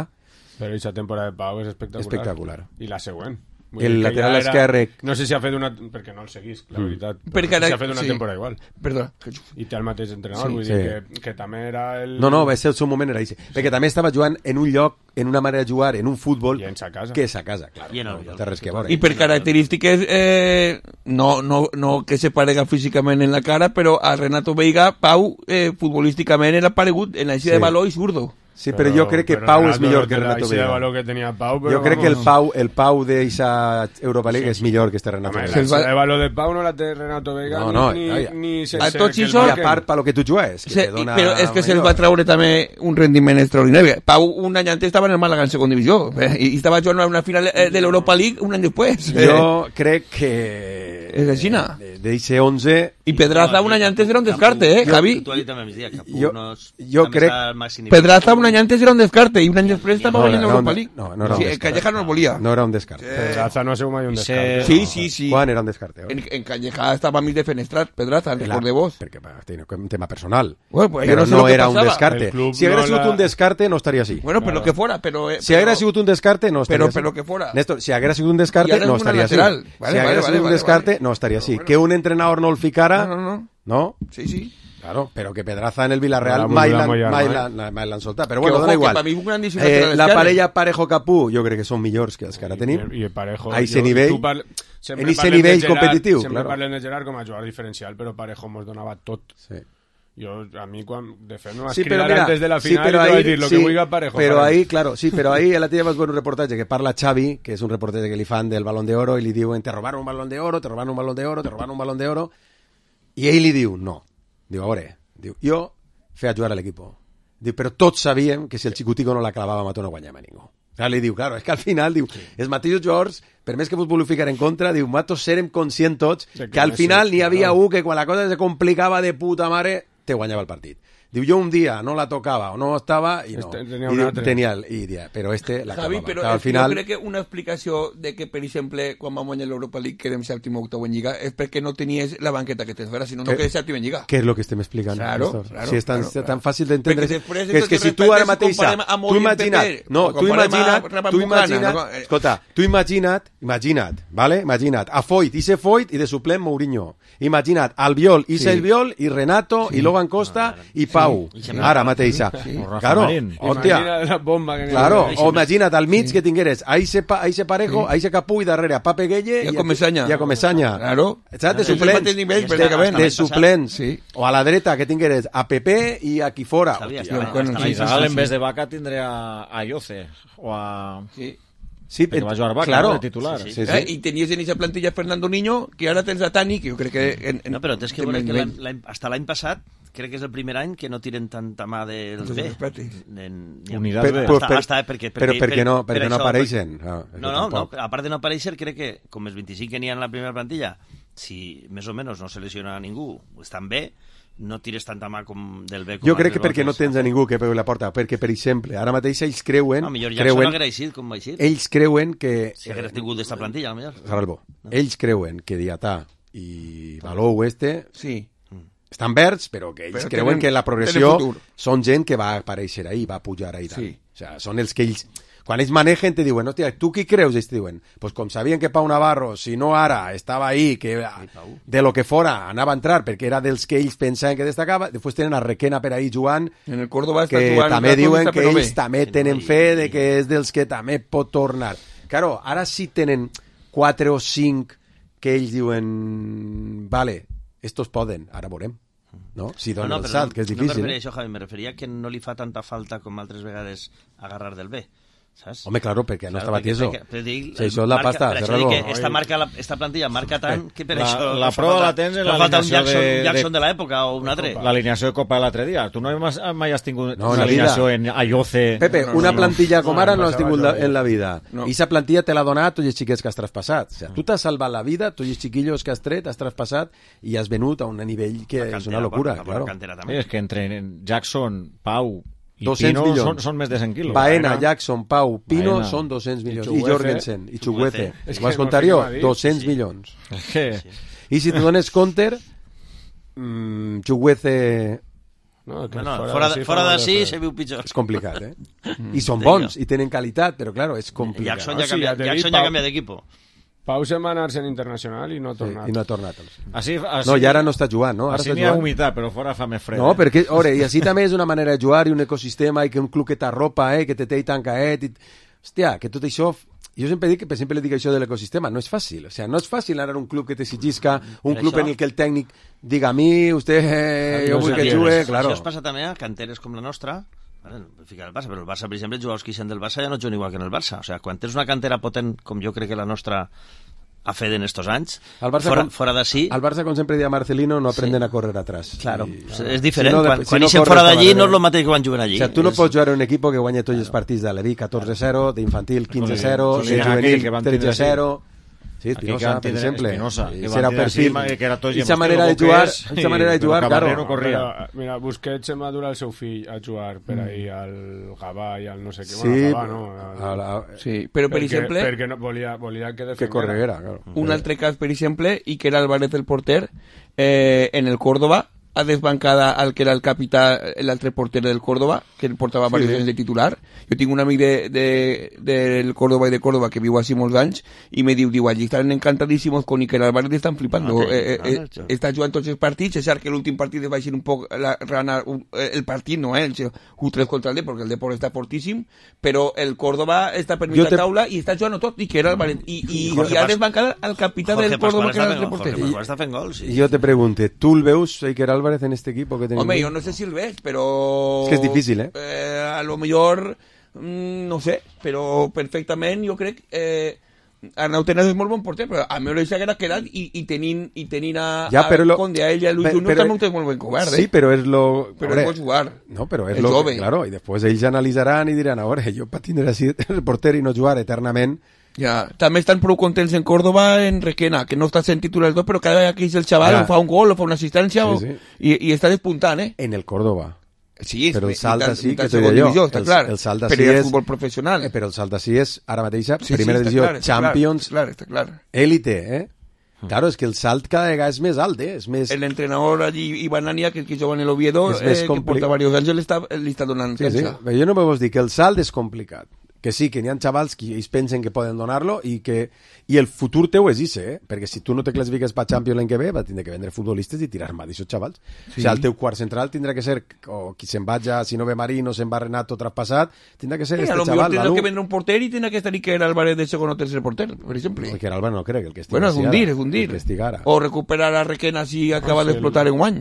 Però aquesta temporada de Pau és espectacular. I la següent. El lateral esquerre... No sé si ha fet una... perquè no el seguís, la veritat. Perquè si ha fet una temporada igual. Perdona. I té el mateix entrenador, vull dir que també era el... No, va ser el seu moment, era així. Perquè també estava jugant en un lloc, en una manera de jugar, en un futbol... I en sa casa. Que és a casa, clar. No té res que veure. I per característiques, no que se parega físicament en la cara, però a Renato Veiga, Pau, futbolísticament era paregut en la eixida de valor i zurdo. Sí, però jo crec que Pau és millor que Renato Veiga. Que tenia Pau, jo crec que el Pau d'eixa Europa League és millor que este Renato Veiga. El valor de Pau no la té Renato Veiga ni sense que el marquen. I a part, per lo que tu jugues. Però és que se'ls va treure també un rendiment extraordinari. Pau un any antes estava en el Màlaga en segona divisió i estava jugant a una final de l'Europa League un any després. Jo crec que... És així, no? D'eixe 11... I Pedraza un any antes era un descarte, Javi? Jo crec... Pedraza un any antes era un descarte i un any després estava guanyant l'Europa League. No era un descarte. Calleja no el volia. No era un descarte. Pedraza no ha sigut mai un descarte. Sí. Quan era un descarte? En Calleja estava mig defenestrat, Pedraza, record de vos. Perquè té un tema personal. Però no era un descarte. Si haguera sigut un descarte, no estaria així. Bueno, però que fora. Si haguera sigut un descarte, no estaria així. Però que fora. Néstor, si haguera sigut un descarte, no estaria així. Si haguera sigut un descarte, no estaria així. Que un entrenador no el ficara... No. Sí. Claro, pero que Pedraza en el Villarreal mai l'han soltat. Però bueno, dona igual. La parella Parejo-Capú jo crec que són millors que els que ara tenim. I Parejo... A ese nivell, en ese nivell competitiu. Sempre parlem de Gerard com a jugador diferencial, però Parejo mos donava tot. Sí. A mí, de fet, me vas cridar antes de la final y te voy a decir lo que vull Parejo. Pero ahí, claro, sí, pero ahí el otro día vas a ver un reportaje que parla Xavi, que és un reportaje que li fan del Balón de Oro, i li diuen, te robaron un Balón de Oro, te robaron un Balón de Oro, te robaron un Balón de Oro, i ell li diu, no. Diu, a veure, jo feia jugar a l'equip. Diu, però tots sabíem que si el Xicutico no la clavava, no guanyava ningú. Clar, li diu, claro, és que al final, diu, els mateixos jugadors, per més que vos vulgueu ficar en contra, diu, matos serem conscients tots que al final n'hi havia un que quan la cosa se complicava de puta mare, te guanyava el partit. Diu, jo un dia no la tocava o no estava i no. Tenia el dia, però la Javi, acabava. però al final... jo crec que una explicació de que, per exemple, quan vam guanyar l'Europa League quedem sèptim o octau en Lliga és perquè no tenies la banqueta que tens ara, si no quedes sèptim en Lliga. Què és el que estem explicant? Claro, si és tan fàcil d'entendre. Que és que si tu ara mateix... Tu imagina't, vale? Imagina't, a Foyt, ise Foyt i de suplent Mourinho. Imagina't, Albiol, Ise Albiol i Renato i Logan Costa i Pau. Ara mateixa. Claro, hòstia. Claro, o imagina't al mig que tingueres a Ise Parejo, a Ise Capú i darrere a Pape Gueye i a Comesaña. Claro. Saps? De suplents. O a la dreta que tingueres a Pepe i aquí fora. A Isabel en vez de Vaca tindria a Yoce o a... Sí, que va jugar Vaca, claro, de titular. Sí. I tenies en aquesta plantilla Fernando Niño, que ara tens a Tani, que jo crec que... No, però tens que veure que hasta l'any passat crec que és el primer any que no tiren tanta mà del B. Unitat B. Però perquè no apareixen. No, a part de no aparèixer, crec que, com els 25 que n'hi ha en la primera plantilla, si més o menys no se lesiona ningú, estan bé, no tires tanta mà com del B. Jo crec que perquè no tens a ningú que pegui la porta, perquè, per exemple, ara mateix ells creuen... No, millor Jackson no haguera eixit, com va eixir. Ells creuen que... Si haguera tingut d'esta plantilla, millor. Salvo. Ells creuen que Diatà i Balou sí, estan verds, però que ells creuen que la progressió són gent que va aparèixer ahí, va pujar ahí. Sí. O sea, són els que ells... Quan ells manegen te diuen, hòstia, tu qui creus? Ells te diuen, pues com sabien que Pau Navarro, si no ara, estava ahí, que de lo que fora anava a entrar, perquè era dels que ells pensaven que destacava, després tenen a Requena per ahí jugant, en el Córdoba que també diuen que ells també tenen fe de que és dels que també pot tornar. Claro, ara sí tenen 4 o 5 que ells diuen, vale, estos poden, ara veurem. No? Si donen el salt, que és difícil. No me referia a això, Javi, me referia que no li fa tanta falta com altres vegades agarrar del B. ¿Sabes? Hombre, claro, perquè no estava tieso. Si això és la pasta, cerrado. Esta plantilla marca tant que per això... La prova la tens en l'alineació de... Jackson de l'època o un altre. L'alineació de Copa de l'altre dia. Tu no mai has tingut l'alineació en Ayoce... Pepe, una plantilla com ara no has tingut en la vida. I esa plantilla te l'ha donat tots els xiquets que has traspassat. O sea, tu t'has salvat la vida, tots els xiquillos que has tret, has traspassat i has venut a un nivell que és una locura. És que entre Jackson, Pau... I 200 Pino milions. Són més de 100 quilos. Baena, Jackson, Pau, Pino són 200 milions. I Jorgensen, i Chuguece. Ho has contat jo? 200 milions. I si te dones compte, Chuguece... Fora d'ací se viu pitjor. És complicat, eh? I són bons, i tenen qualitat, però claro, és complicat. Jackson ja canvia d'equip. Pau se'n va anar-se en internacional i no ha tornat. I no ha tornat. Així, no, i ara no està jugant, no? Ara així n'hi ha humitat, però fora fa més fred. No, perquè, ore, i així també és una manera de jugar i un ecosistema i que un club que t'arropa, que te té i tancaet. Hòstia, que tot això... Jo sempre dic, per exemple, dic això de l'ecosistema, no és fàcil. O sea, no és fàcil anar a un club que t'exigisca, un club en el que el tècnic diga a mi, usted, jo vull que jugue, claro. Això es passa també a canteres com la nostra, ficar el Barça, però el Barça, per exemple, jugadors que ixen del Barça ja no juguen igual que en el Barça. O sea, quan tens una cantera potent, com jo crec que la nostra ha fet en estos anys, fora d'ací... Al Barça, com sempre deia Marcelino, no aprenden a correr atrás. Claro, és diferent. Quan ixen fora d'allí no és el mateix que van jugar allí. O sea, tu no pots jugar en un equip que guanya tots els partits de l'Evi 14-0, d'infantil 15-0, de juvenil 13-0... Sí, Espinosa, per exemple. Era perfil. Esa manera de jugar, claro. Mira, Busquets se madura el seu fill a jugar per ahí al Gavà i al no sé què. Sí, sí, però per exemple... Perquè volia que correguera, claro. Un altre cas, per exemple, i que era Álvarez el porter, en el Córdoba, ha desbancada al que era el capità, l'altre porter del Córdoba, que el portava diversos anys de titular. Jo tinc un amic del Córdoba i de Córdoba que viu així molts anys i me diu, allí estan encantadísimos con Iker Álvarez, estan flipando. Està jugant tots els partits, és cert que l'últim partit es va eixir un poc el partit, no, el 1-3 contra el Depor, perquè el Depor està fortíssim, però el Córdoba està per mitja taula i està jugant tot Iker Álvarez i ha desbancat al capità del Córdoba, que era l'altre porter. Està fent gols, sí. Jo te pregunte, ¿tú el veus Iker Álvarez en este equipo que tenim? Home, jo no sé si el ves, però... És que és difícil, a lo millor, no sé, però perfectament jo crec... Arnau Tenas és molt bon porter, però a mi m'ho haguera quedat i tenint a Conde, a ell i a Luis Junior també ho té molt ben cobert, Sí, però és lo... Però és jugar. No, però és lo... Claro, i després ells analitzaran i diran, a veure, jo per tindre així el porter i no jugar eternament... Ja, també estan prou contents en Córdoba en Requena, que no està sent titular del tot, però cada vegada que és el xaval fa un gol o fa una assistència i està despuntant, En el Córdoba. Sí, però el salt d'ací, que t'ho diré jo, el salt d'ací és futbol professional. Però el salt d'ací és, ara mateix, primera divisió, Champions, élite, Claro, és que el salt cada vegada és més alt, és més... L'entrenador allí, Iván Ania, que juga en el Oviedo, que porta diversos anys, li està donant canxa. Sí, però jo no me vols dir que el salt és complicat, que sí, que n'hi ha xavals que ells pensen que poden donar-lo i el futur teu és ese, perquè si tu no te classifiques per Champions l'any que ve, vas tindre que vendre futbolistes i tirar mà d'aixòs xavals. O sigui, el teu quart central tindrà que ser, o qui se'n vaja, si no ve Marino, se'n va Renato traspassat, tindrà que ser este xaval. A lo millor tindrà que vendre un porter i tindrà que estar Iker Álvarez de segon o tercer porter, per exemple. Iker Álvarez no crec, el que estigui Bueno, és hundir. O recuperar a Requena si acaba d'explotar en guany.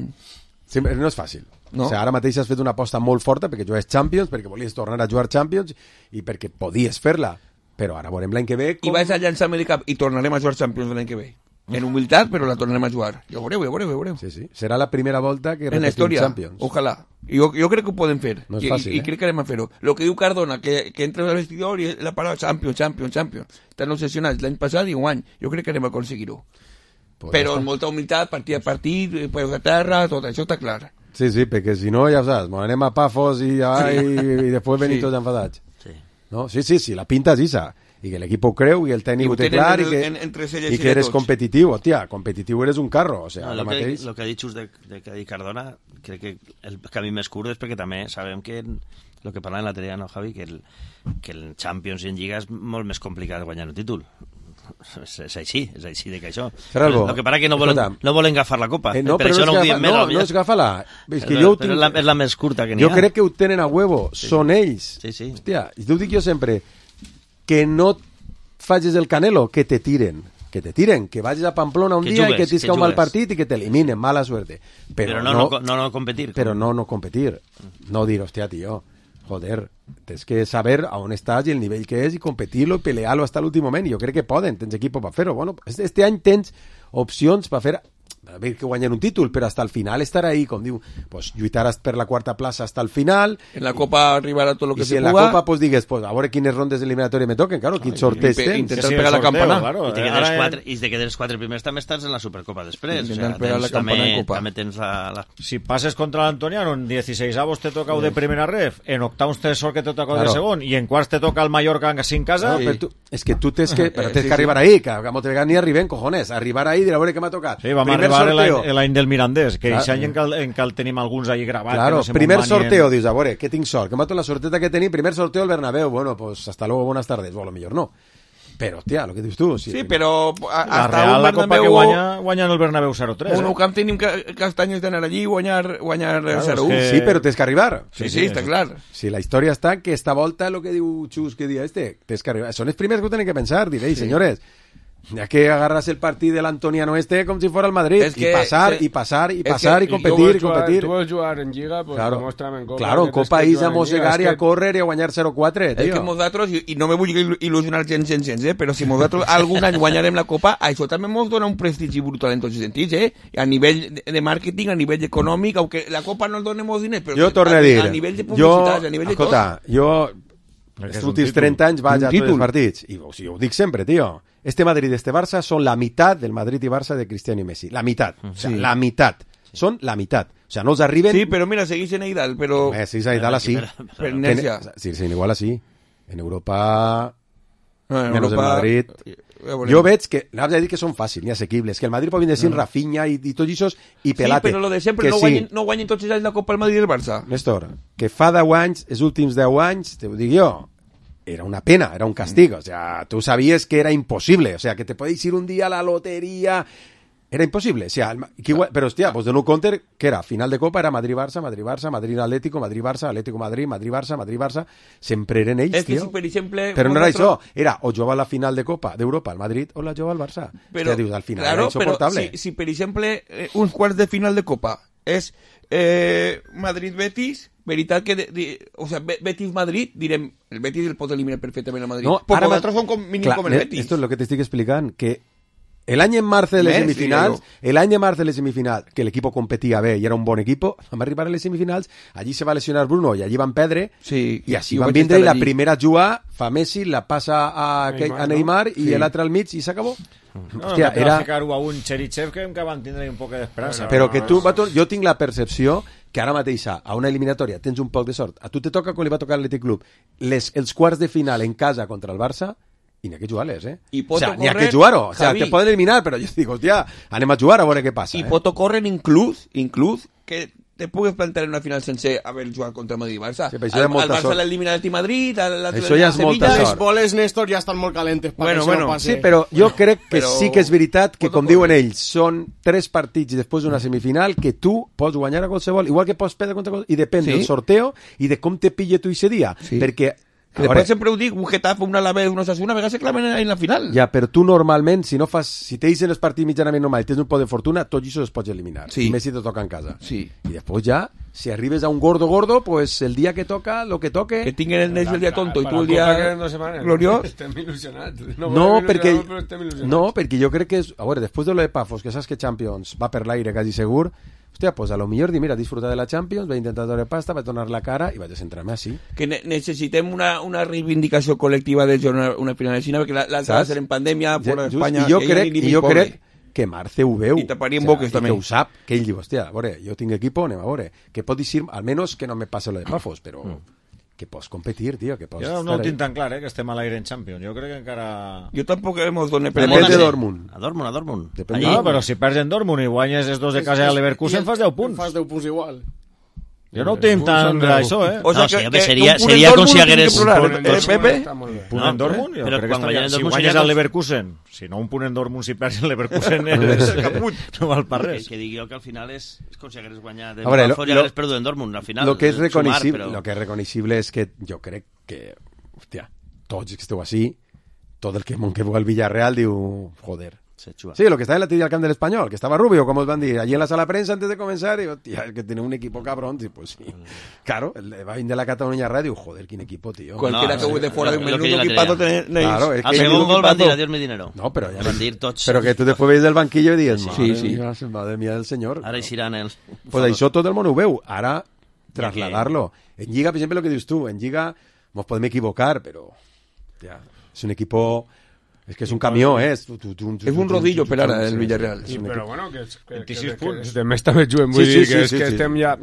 Sí, no és fàcil. No? O sigui, ara mateix has fet una aposta molt forta perquè jugues Champions, perquè volies tornar a jugar Champions i perquè podies fer-la. Però ara veurem l'any que ve... I vas a llançar-me de cap i tornarem a jugar Champions l'any que ve. En humilitat, però la tornarem a jugar. Ja ho veureu. Sí. Serà la primera volta que repetim Champions. Ojalà. Jo crec que ho podem fer. No és fàcil, I crec que anem a fer-ho. Lo que diu Cardona, que entra al vestidor i la paraula Champions. Estan obsessionats l'any passat i un any. Jo crec que anem a aconseguir-ho. Però amb molta humilitat, partit a partit, peus a terra, tot això està clar. Sí, perquè si no, ja ho saps, anem a Pafos i després venim tots enfadats. No? Sí, la pinta és isa. I que l'equip ho creu i el tècnic ho té clar i que eres competitiu. Hòstia, competitiu eres un carro. O sigui, el que ha dit just de que ha dit Cardona, crec que el camí més curt és perquè també sabem que el que parlàvem l'altre dia, no, Javi, que el Champions i en Lliga és molt més complicat guanyar un títol. És així de que això. El que passa que no volen agafar la copa. No, per això no ho diem més. No és agafar-la. És la més curta que n'hi ha. Jo crec que ho tenen a huevo. Són ells. Sí. Hòstia, i t'ho dic jo sempre, que no facis el Canelo, que te tiren, que vagis a Pamplona un dia i que t'isca un mal partit i que t'eliminen, mala suerte. Però no competir. Però no competir. No dir, hòstia, tio, joder, tens que saber a on estàs i el nivell que és i competir-lo i pelear-lo fins a l'últim moment. I jo crec que poden, tens equip per fer-ho. Bueno, este any tens opcions per fer... a ver que guanyen un títol, però hasta el final estar ahí, com diu, pues lluitaràs per la quarta plaça hasta el final. En la Copa arribarà tot lo que se puga. I si en la Copa pues digues, pues a veure quines rondes eliminatòries me toquen, claro, quin sorteig tens. Intentar pegar la campana. Claro, I de que dels 4 primers també estàs en la Supercopa després. Intentar pegar la campana en Copa. També tens la... Si passes contra l'Antoniano, en 16avos te toca de primera ref, en octavos te sort que te toca de segon, i en quarts te toca el Mallorca sin casa. És que tu tens que arribar ahí, que a moltes vegades ni arribem, cojones, arribar ahí i dir a veure què m'ha tocat. Sí, vam arribar l'any del Mirandés, que aquest any en el tenim alguns allí gravats. Claro, primer sorteo, dius, a veure, què tinc sort? Que m'ha tot la sorteta que tenim, primer sorteo al Bernabéu, bueno, pues hasta luego, buenas tardes, o a lo millor no. Però, hòstia, el que dius tu... Sí, però... La Real, la Copa que guanya en el Bernabéu 0-3. Un camp tenim castanyes d'anar allí i guanyar 0-1. Sí, però tens que arribar. Sí, està clar. Sí, la història està que esta volta, el que diu Xus, que dia tens que arribar. Són els primers que ho tenen que pensar, diréis, senyores. Ya que agarras el partido del Antoniano como si fuera el Madrid, y pasar y competir. Tu vols jugar en Lliga, pues claro, demostra'm en Copa. Claro, en Copa is a mossegar i a córrer i a guanyar 0-4, tio. És que nosaltres, i no me vull il·lusionar gens, però si nosaltres algun any guanyarem la Copa, això també ens dona un prestigi brutal en tots els sentits, a nivell de màrqueting, a nivell econòmic, aunque la Copa no ens doni molts diners, però a nivell de publicitat, a nivell de tot. Jo els últims 30 anys vaig a tots els partits, i ho dic sempre, tio. Este Madrid y este Barça son la mitad del Madrid y Barça de Cristiano y Messi. La mitad. O sea, la mitad. Son la mitad. O sea, no els arriben... Sí, però mira, seguís en Eidal, però... Seguís en Eidal así. Per inèrcia. Sí, igual así. En Europa... menys el Madrid. Jo veig que, anava a dir que són fàcils, ni assequibles, que el Madrid pot vindre sin Rafinha i tot això, i Pelate. Sí, però lo de sempre, no guanyen tots els anys la Copa el Madrid i el Barça. Néstor, que fa 10 anys, els últims 10 anys, te ho dic jo, era una pena, era un castigo, o sea, tú sabías que era imposible, o sea, que te podéis ir un día a la lotería, era imposible, o sea, pero hostia, pues de no counter, que era final de Copa, era Madrid-Barça, Madrid-Barça, Madrid-Atlético, Madrid-Barça, Atlético-Madrid, Madrid-Barça, Madrid-Barça, sempre eren ells, és que tio. Si, per exemple, però no era això, era o jugava la final de Copa d'Europa al Madrid o la jugava al Barça. Però, hòstia, dius, al final claro, era insoportable. Però si per exemple, uns quarts de final de Copa és Madrid-Betis, veritat que o sea, Betis-Madrid, direm, el Betis el pot eliminar perfectament al Madrid. No, però ara nosaltres som com mínim com el Betis. Esto es lo que te estic explicant, que el año en marzo de les semifinals, que el equipo competía bé y era un bon equipo, vam arribar a les semifinals, allí se va lesionar Bruno y allí van perdre, y així van vindre i la primera jugada fa Messi, la passa a Neymar i l'altre al mig i s'acabó. No, hòstia, era ficar-ho a un Cherichev que van tindre un poc d'esperança. Però que tu, jo tinc la percepció que ara mateix a una eliminatòria tens un poc de sort. A tu te toca, com li va tocar a l'Atlètic Club, els quarts de final en casa contra el Barça, i n'hi ha que jugar-les, O sea, n'hi ha que jugar-ho. O sea, te poden eliminar, però jo dic, hòstia, anem a jugar a veure què passa. I pot ocórrer inclús que te pugues plantear en una final sense haver jugat contra Madrid i Barça. Sí, al Barça l'elimina el Madrid, això ja és molta sort. Les boles, Néstor, ja estan molt calentes. Sí, però jo crec que sí que és veritat que, com diuen ells, són 3 partits després d'una semifinal que tu pots guanyar a qualsevol, igual que pots perdre contra qualsevol, i depèn del sorteo i de com te pille tu ese dia. Perquè que després sempre ho dic, un Getafe, un Alavés, un Osasuna, a vegades se claven en la final. Ja, però tu normalment, si te deixen els partits mitjanament normals i tens un poc de fortuna, tot això es pots eliminar. Sí. I més si te toca en casa. Sí. I després ja, si arribes a un gordo, pues el dia que toca, lo que toque... Que tinguin el Neix el dia tonto i tu el dia gloriós. Estem il·lusionats. No, perquè jo crec que és... A veure, després de lo de Pafos, que saps que Champions va per l'aire quasi segur, hòstia, pues a lo millor dir, mira, disfrutar de la Champions, vaig intentar treure pasta, vaig tornar la cara i vaig a centrar-me així. Que necessitem una reivindicació col·lectiva de una final de Xina, perquè l'altra va ser en pandèmia, fora d'Espanya... I jo crec que Marce ho veu. I taparien boques, també. Que ho sap, que ell diu, hòstia, a veure, jo tinc equipo, anem a veure, que pot dir, almenys que no me passe lo de Pafos, però... que pots competir, tio, que pots... Jo no ho tinc tan clar, que estem a l'aire en Champions. Jo crec que encara... Jo tampoc hemos donat... Depèn de Dortmund. A Dortmund. No, però si perds en Dortmund i guanyes els 2 de casa a Leverkusen, fas 10 punts. Fas 10 punts igual. Jo no ho tinc tan això, O sea, que seria com si hagués... Punt en Dortmund? Jo crec que si guanyes al Leverkusen, si no un punt en Dortmund, si perds en Leverkusen, no val per res. Que digui jo que al final és com si hagués guanyat el Pafos i hagués perdut en Dortmund. Al final, lo que és reconeixible és que jo crec que, hòstia, tots que esteu així, tot el que veu el Villarreal diu, joder. Sí, lo que está en la tira al camp del Español, que estaba Rubio, como os van a decir, allí en la sala de prensa antes de comenzar, y hostia, es que tiene un equipo cabrón, y pues sí. Claro, va a ir de la Cataluña Radio, joder, qué equipo, tío. Cualquiera que de fuera de un menudo equipazo tenéis. Claro, es que al segundo gol van a decir, adiós mi dinero. No, pero ya van a decir tots. Pero que tú después veis del banquillo y dices, sí. Madre mía del señor. Ahora irán els... Pues això tot el món ho veu, ara trasladarlo. En Lliga, per exemple, lo que dius tu, en Lliga nos podem equivocar, pero ya, es un equipo... Es que es un camió, es un rodillo per ara el Villarreal. Sí, però bueno, que de més també juguem, vull dir que estem ja...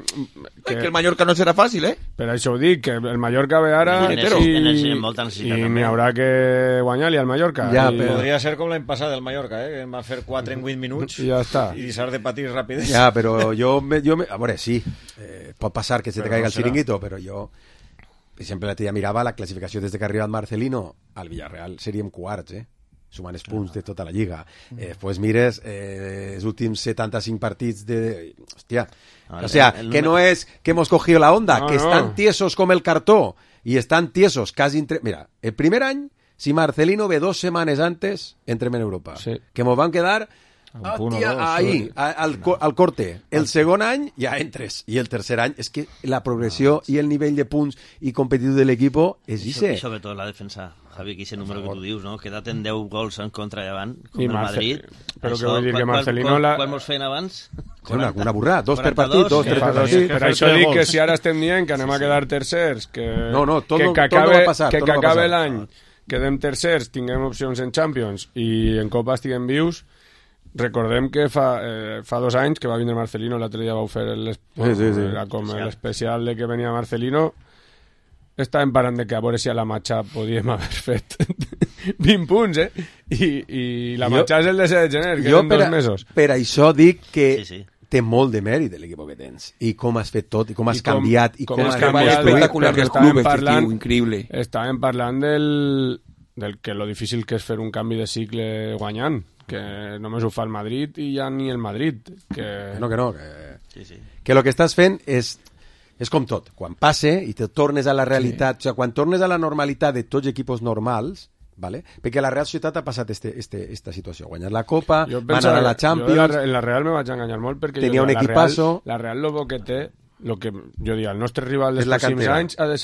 Que el Mallorca no serà fàcil, Per això ho dic, que el Mallorca ve ara i n'hi haurà que guanyar-li al Mallorca. Podria ser com l'any passat el Mallorca, que va fer 4 en 8 minuts i ja està. I deixar de patir ràpid. Ja, però jo a veure, sí, pot passar que se te caiga el chiringuito, però jo... Per exemple, l'altre dia mirava la classificació des que ha arribat Marcelino al Villarreal, seríem quarts, sumant els punts de tota la Lliga. Pues mires els últims 75 partits de... Hòstia, o sea, que no es que hemos cogido la onda, que están tiesos com el cartó, y están tiesos casi... Mira, el primer any, si Marcelino ve 2 setmanes antes, entrem en Europa. Que mos van quedar... ahí, al corte. El segon any ja entres, i el tercer any és que la progressió i el nivell de punts i competitiu de l'equip és I sobretot la defensa, Javi, que aquest número que tu dius, no? Quedat en 10 gols en contra davant, com el Madrid. Però que vull dir que Marcelino... Quan mos feien abans? Una burrada, 2 per partit, 2, 3 per partit. Per això dic que si ara estem dient que anem a quedar tercers, que acabe l'any, quedem tercers, tinguem opcions en Champions i en Copa estiguem vius. Recordem que fa 2 anys que va vindre Marcelino, l'altre dia vau fer l'especial de que venia Marcelino, estàvem parlant de que a veure si a la matxa podíem haver fet 20 punts, I la marxa és el 17 de gener, que eren 2 mesos. Per això dic que té molt de mèrit l'equip que tens. I com has fet tot, i com has canviat, i com has canviat. Espectacular del club, efectiu, increïble. Estàvem parlant del que lo difícil que és fer un canvi de cicle guanyant, que només ho fa el Madrid i ja ni el Madrid. Que el que estàs fent és com tot, quan passe i te tornes a la realitat, o sigui, quan tornes a la normalitat de tots equipos normals, ¿vale? Perquè la Real Societat ha passat esta situació, guanyar la Copa, va anar a la Champions... En la Real me vaig enganyar molt perquè tenia un equipazo... La Real lo que té, lo que jo diria, el nostre rival dels pròxims anys ha de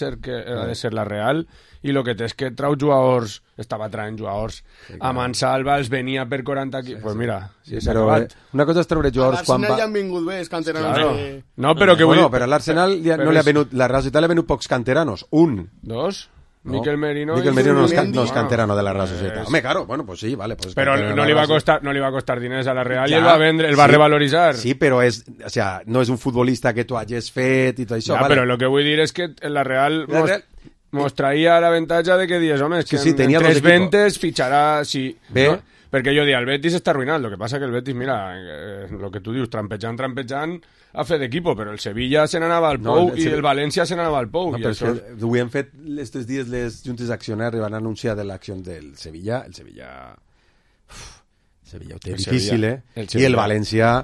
ser la Real, i el que té és que trau jugadors, estava traient jugadors a Mansalva, els venia per 40 equips, pues mira, s'ha acabat. Una cosa és treure jugadors quan va... L'Arsenal ja han vingut bé, els canteranos. No, però que vull... Però l'Arsenal no li ha venut, la Real Societat li ha venut pocs canteranos, un. Dos? Mikel Merino no es canterano de la Real Societat. Hombre, claro, bueno, pues sí, vale. Pues pero no le va a costar diners a la Real i el va vendre, el va revaloritzar. Sí, però o sea, no és un futbolista que tu hagis fet i tot això. Ja, però el que vull dir és que la Real mos traia l'avantatge de que dius, home, és que en 3 ventes fitxarà... Bé. No? Perquè jo dic, el Betis està arruïnat, el que passa que el Betis, mira, el que tu dius, trampejant, ha fet equipo, però el Sevilla se n'anava al Pou i el València se n'anava al Pou. No, però això... Ho hem fet aquests dies les juntes d'accionaris van anunciar de l'acció del Sevilla. El Sevilla ho té difícil, I el València,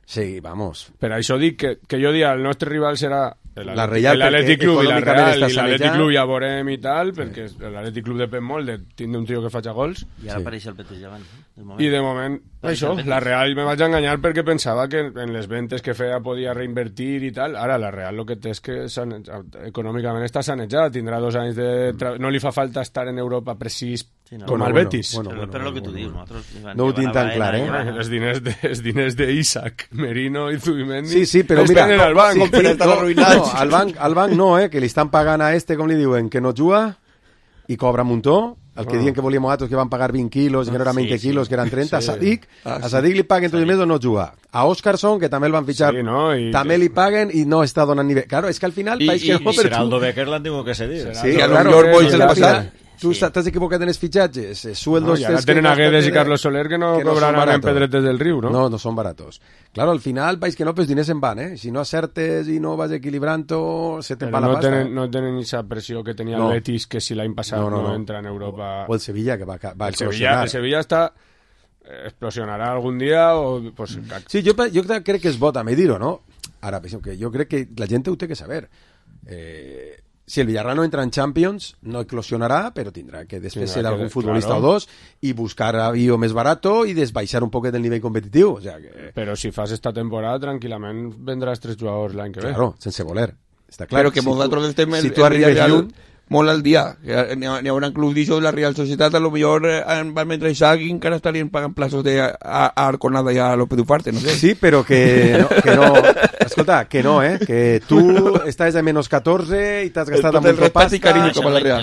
sí, vamos. Per això dic que jo dic, el nostre rival serà l'Atlètic Club i la Real, i l'Atlètic Club ja veurem i tal, perquè l'Atlètic Club depèn molt de tindre un tio que faci gols. I ara apareix el Betis davant. I de moment, això, la Real me vaig enganyar perquè pensava que en les ventes que feia podia reinvertir i tal. Ara la Real el que té és que econòmicament està sanejada, tindrà 2 anys de... No li fa falta estar en Europa precís com el Betis. Però el que tu dius, no ho tinc tan clar, Els diners d'Isaac, Merino i Zubimendi sí, però mira, tenen al banc, al banc no, que li estan pagant a que com li diuen, que no juga i cobra un muntó, el que diuen que volíem nosaltres que van pagar 20 quilos, que no eren 20 quilos, que eren 30, a Sadik li paguen tot i més o no juga. A Óscarson, que també el van fitxar, també li paguen i no està donant nivell. Claro, és que al final... I Geraldo Becker l'han tingut que cedir. Sí, claro, tu t'has equivocat en els fitxatges, sueldos... I ara tenen a Guedes i Carlos Soler que no cobraran en Pedretes del Riu, no? No son baratos. Claro, al final, veis que no, pues diners en van, Si no acertes i no vas equilibrant-ho, se te'n va la pasta. No tenen esa pressió que tenia el Betis, que si l'any passat no entra en Europa... O el Sevilla, que va explosionar. El Sevilla explosionarà algun dia o... Pues... Sí, jo crec que és bo també dir-ho, no? Ara, jo crec que la gent ho té que saber. Si el Villarreal no entra en Champions, no eclosionarà, però tindrà que després ser algun futbolista o dos i buscar avió més barato i desbaixar un poquet el nivell competitiu. O sea que... Però si fas esta temporada, tranquil·lament vendràs 3 jugadors l'any que ve. Claro, sense voler. Està clar. Però que nosaltres estem si tu arribes lluny... molt al dia. N'hi haurà clubs d'això de la Real Societat, a lo millor van mentre Isaac i encara estarien pagant plaços a Arconada i a López Ufarte, no sé. Sí, però que no. Escolta, que no, que tu estàs de menos 14 i t'has gastat amb un pasta.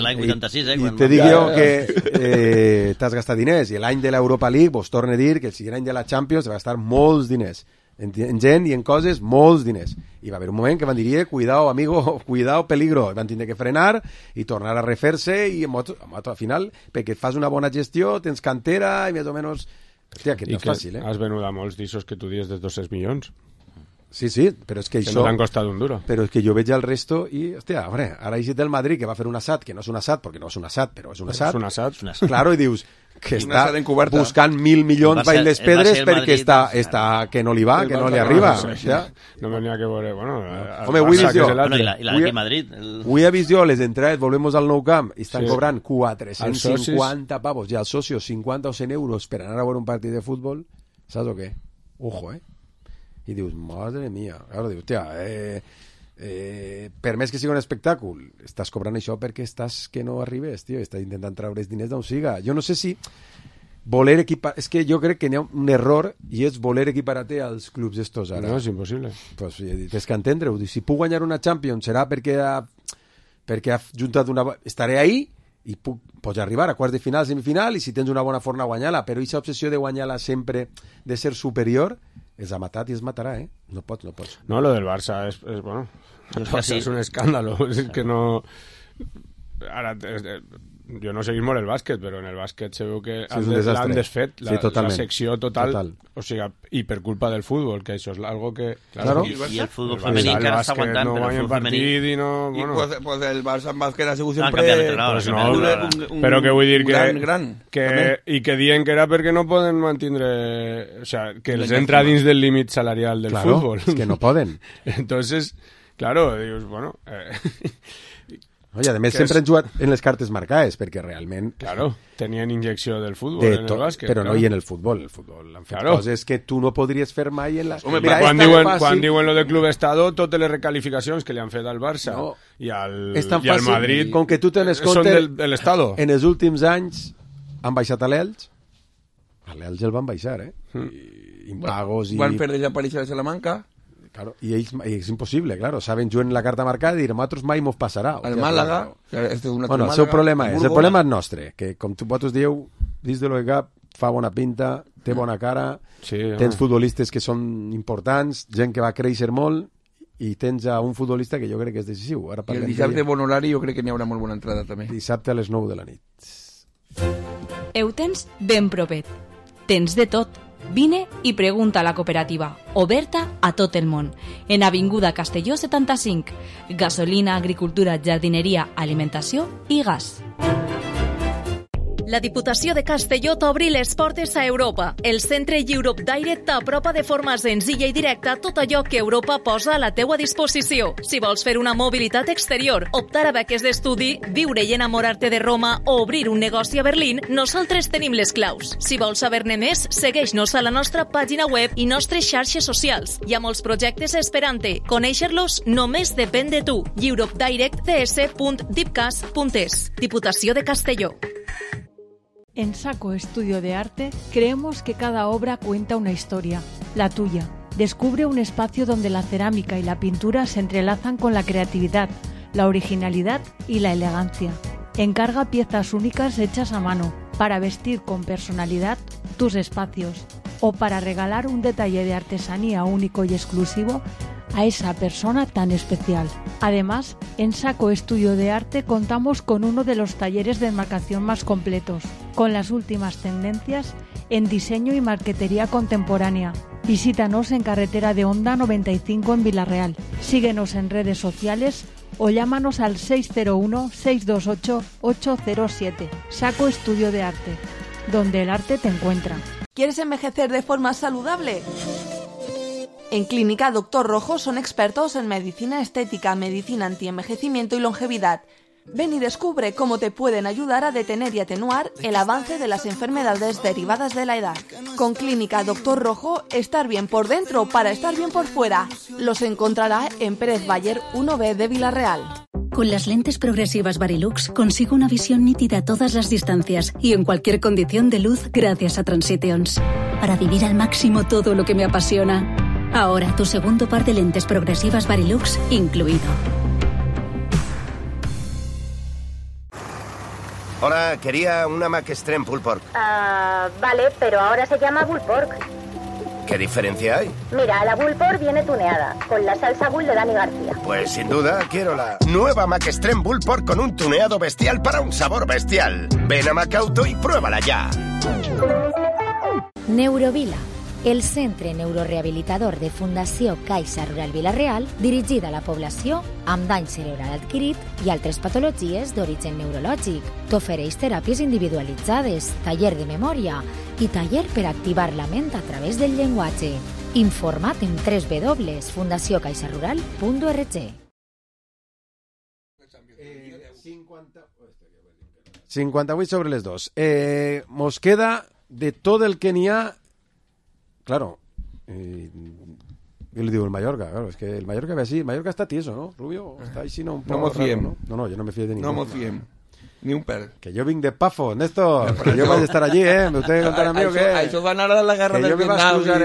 L'any 86, I te dic jo que t'has gastat diners, i l'any de l'Europa League, vos torno a dir que el sigui any de la Champions va gastar molts diners. En gent i en coses, molts diners. I va haver un moment que van dir, cuidado, amigo, cuidado, peligro. Van tindre que frenar i tornar a refer-se i al final, perquè fas una bona gestió, tens cantera i més o menys... Hòstia, que no és fàcil, has venut a molts d'issos que tu dius de 200 milions. Sí, però és que això... Que no t'han costat un duro. Però és que jo veig el resto i, hòstia, ara hi del Madrid que va fer un assat, que no és un assat, perquè no és un assat, però és un assat. És un assat. Claro, i dius... que està buscant 1.000 milions baix les pedres perquè està que no li va, que no li arriba. No me n'hi ha que veure, bueno... Home, avui vist jo... I Madrid... Avui he vist jo les entrades, volvemos al Nou Camp, i estan cobrant 450 pavos, i als socios 50 o 100 euros per anar a veure un partit de futbol, saps o què? Ojo, I dius, madre mía, claro, dius, hòstia, per més que sigui un espectacle, estàs cobrant això perquè estàs que no arribes, tio, estàs intentant treure els diners d'on siga. Jo no sé si voler equipar... És que jo crec que n'hi ha un error i és voler equiparar-te als clubs estos ara. No, és impossible. Pues tens que entendre-ho. Si puc guanyar una Champions serà perquè ha juntat una... Estaré ahí i pots arribar a quarts de final, semifinal, i si tens una bona forma guanyar-la, però aquesta obsessió de guanyar-la sempre, de ser superior, els ha matat i es matarà, No pots. No, lo del Barça és bueno... És un escàndalo, és que no... Ara, jo no seguís molt el bàsquet, però en el bàsquet se veu que l'han desfet, la secció total. O sigui, i per culpa del futbol, que això és algo que... Claro. I el futbol femení encara està aguantant, però el futbol femení... Pues el Barça en bàsquet ha sigut sempre... Però que vull dir i que diuen que era perquè no poden mantindre... O sea, que els entra dins del límit salarial del futbol. Es que no poden. Entonces, claro, dius, bueno... Oye, a més sempre han jugat en les cartes marcades, perquè realment... Claro, tenien injecció del futbol en el bàsquet. Però no hi en el futbol. El futbol han fet coses que tu no podries fer mai en la... Home, quan diuen lo de Club Estado, totes les recalificacions que li han fet al Barça i al Madrid com que tu tens compte, són de l'Estado. En els últims anys han baixat a l'Elx. A l'Elx el van baixar, impagos i... Van per desaparèixer de Salamanca. Claro, y es imposible, claro. Saben, yo en la carta marcada y nosotros mai mos passarà. El Màlaga... Bueno, el seu problema és... El problema és nostre, que com tu vosaltres dieu, dins de lo que cap, fa bona pinta, té bona cara, tens futbolistes que són importants, gent que va créixer molt, i tens a un futbolista que jo crec que és decisiu. Ara I el dissabte bon horari jo crec que n'hi haurà molt bona entrada també. Dissabte a les 9 de la nit. Ho tens ben propet. Tens de tot. Vine i pregunta a la cooperativa, oberta a tot el món, en Avinguda Castelló 75, gasolina, agricultura, jardineria, alimentació i gas. La Diputació de Castelló t'obri les portes a Europa. El centre Europe Direct t'apropa de forma senzilla i directa tot allò que Europa posa a la teua disposició. Si vols fer una mobilitat exterior, optar a beques d'estudi, viure i enamorar-te de Roma o obrir un negoci a Berlín, nosaltres tenim les claus. Si vols saber-ne més, segueix-nos a la nostra pàgina web i nostres xarxes socials. Hi ha molts projectes esperant-te. Conèixer-los només depèn de tu. europedirectcs.dipcas.es. Diputació de Castelló. En Saco Estudio de Arte creemos que cada obra cuenta una historia, la tuya. Descubre un espacio donde la cerámica y la pintura se entrelazan con la creatividad, la originalidad y la elegancia. Encarga piezas únicas hechas a mano para vestir con personalidad tus espacios o para regalar un detalle de artesanía único y exclusivo a esa persona tan especial. Además, en Saco Estudio de Arte contamos con uno de los talleres de enmarcación más completos, con las últimas tendencias en diseño y marquetería contemporánea. Visítanos en Carretera de Honda 95 en Vilarreal. Síguenos en redes sociales o llámanos al 601-628-807. Saco Estudio de Arte, donde el arte te encuentra. ¿Quieres envejecer de forma saludable? En Clínica Doctor Rojo son expertos en medicina estética, medicina antienvejecimiento y longevidad. Ven y descubre cómo te pueden ayudar a detener y atenuar el avance de las enfermedades derivadas de la edad. Con Clínica Doctor Rojo, estar bien por dentro para estar bien por fuera. Los encontrará en Pérez Bayer 1B de Vilarreal. Con las lentes progresivas Varilux consigo una visión nítida a todas las distancias y en cualquier condición de luz gracias a Transitions. Para vivir al máximo todo lo que me apasiona. Ahora tu segundo par de lentes progresivas Varilux incluido. Hola, quería una Mac Extreme Pulled Pork. Vale, pero ahora se llama Bull Pork. ¿Qué diferencia hay? Mira, la Bull Pork viene tuneada, con la salsa Bull de Dani García. Pues sin duda quiero la nueva Mac Extreme Bull Pork con un tuneado bestial para un sabor bestial. Ven a Macauto y pruébala ya. Neurovila, el centre neurorehabilitador de Fundació Caixa Rural Vila-real, dirigida a la població amb dany cerebral adquirit i altres patologies d'origen neurològic. T'ofereix teràpies individualitzades, taller de memòria i taller per activar la ment a través del llenguatge. Informa't en www.fundaciocaixarural.org. 58 sobre les 2. Mos queda de tot el que n'hi ha. Claro, yo le digo el Mallorca, claro, es que el Mallorca ve así, el Mallorca está tieso, ¿no, Rubio? Está ahí, no, un poco no me fiem. Raro, ¿no? No, yo no me fío de ninguno. No me fiem. Ni un pel. Que yo vine de Pafo, Néstor, que yo voy a estar allí, Me ustedes contarán a mí que... Eso van a dar la guerra del Vietnam. Que yo me vas a usar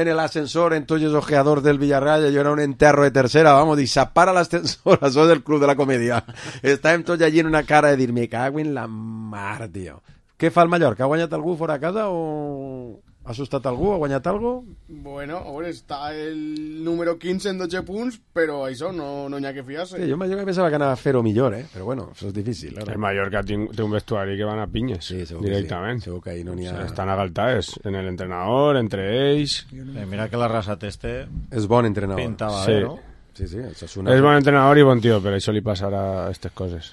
en el ascensor, entonces ojeador del Villarreal, yo era un enterro de tercera, vamos, y zapar l'ascensor, això del Club de la Comedia. Estàvem tots allí en una cara de dir, me cago en la mar, tío. Què fa el Mallorca? Ha guanyat algú fora a casa o Ha assustat algú? Ha guanyat algú? Bueno, a veure, està el número 15 en 12 punts, però això no hi ha que fiar-se. Sí, jo pensava que anava a fer-ho millor, però bueno, això és difícil. El Mallorca té un vestuari que van a pinyes, directament. Sí, segur que ahí no n'hi ha... Estan agaltades en l'entrenador, entre ells... Mira que la raça teste... És bon entrenador. Pintava bé, no? Sí, és bon entrenador i bon tio, per això li passarà aquestes coses.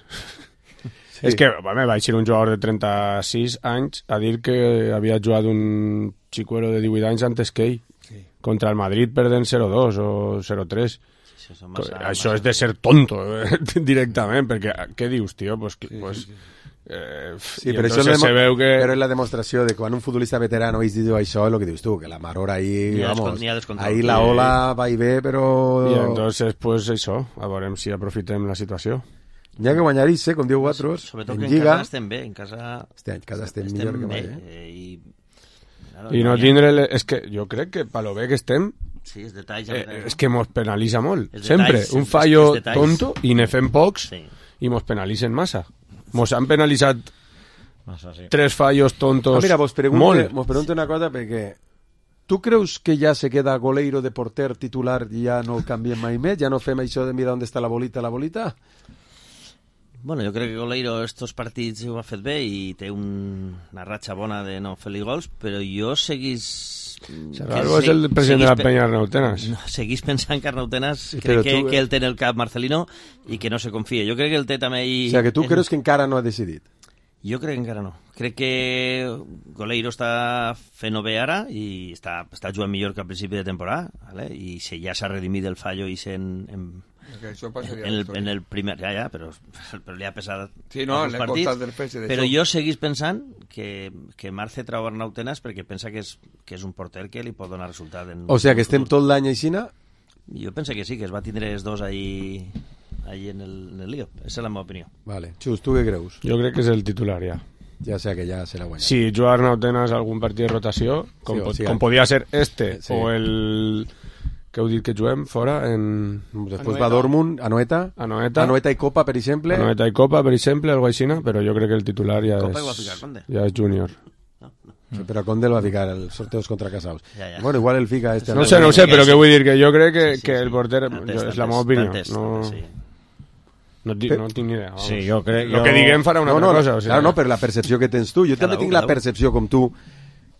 Sí. És que vaig ser un jugador de 36 anys a dir que havia jugat un xicuelo de 18 anys antes que ell. Sí. Contra el Madrid perdent 0-2 o 0-3. Sí, això és de ser tonto, directament, perquè què dius, tio? Sí, però això se veu que... Però és la demostració de que quan un futbolista veterano diu això és el que dius tu, que la marora ahí, ahí la ola va i ve, però... I entonces, pues això, a veurem si aprofitem la situació. N'hi ha que guanyar-hi, com diu vosaltres, sobretot en Lliga. En casa estem bé, en casa estem millor que mai. I no tindre... És que jo crec que per lo bé que estem, sí, els detalls, és que mos penalitza molt. Sempre, un fallo tonto i ne fem pocs i mos penalitzen massa. Mos han penalitzat 3 fallos tontos mira, molt. Mos pregunto una cosa, perquè tu creus que ja se queda Goleiro de porter titular i ja no el canviem mai més? Ja no fem això de mirar on està la bolita? Bueno, jo crec que Goleiro estos partits ho ha fet bé i té una ratxa bona de no fer-li gols, però jo seguís... Serralvo és el president de la penya Arnautenas. No, seguís pensant que Arnautenas crec que ell té en el cap Marcelino i que no se confia. Jo crec que el té també... O sigui, que tu creus que encara no ha decidit? Jo crec que encara no. Crec que Goleiro està fent-ho bé ara i està jugant millor que al principi de temporada, ¿vale? I si ja s'ha redimit el fallo i en el primer... Ja, però li ha pesat els partits. Però jo seguís pensant que Marce trau Arnautenas perquè pensa que és un porter que li pot donar resultat. O sigui, que estem tot l'any aixina? Jo penso que sí, que es va tindre els dos ahí en el lío. Esa és la meva opinió. Vale. Xus, tu què creus? Jo crec que és el titular, ja. Ja sé que ja serà guanyat. Si juga Arnautenas algun partit de rotació, com podia ser o el... que heu dit que juguem fora després va Dortmund, Anoeta i Copa, per exemple, algo aixina, però jo crec que el titular ja és Júnior. Sí, però Conde el va ficar els sorteos contra Casaus. Bueno, igual el fica este. No sé, però què vull dir, que jo crec que el porter és la meva opinió. No tinc ni idea. Sí, jo crec... El que diguem farà una altra cosa. Claro, no, però la percepció que tens tu. Jo també tinc la percepció, com tu,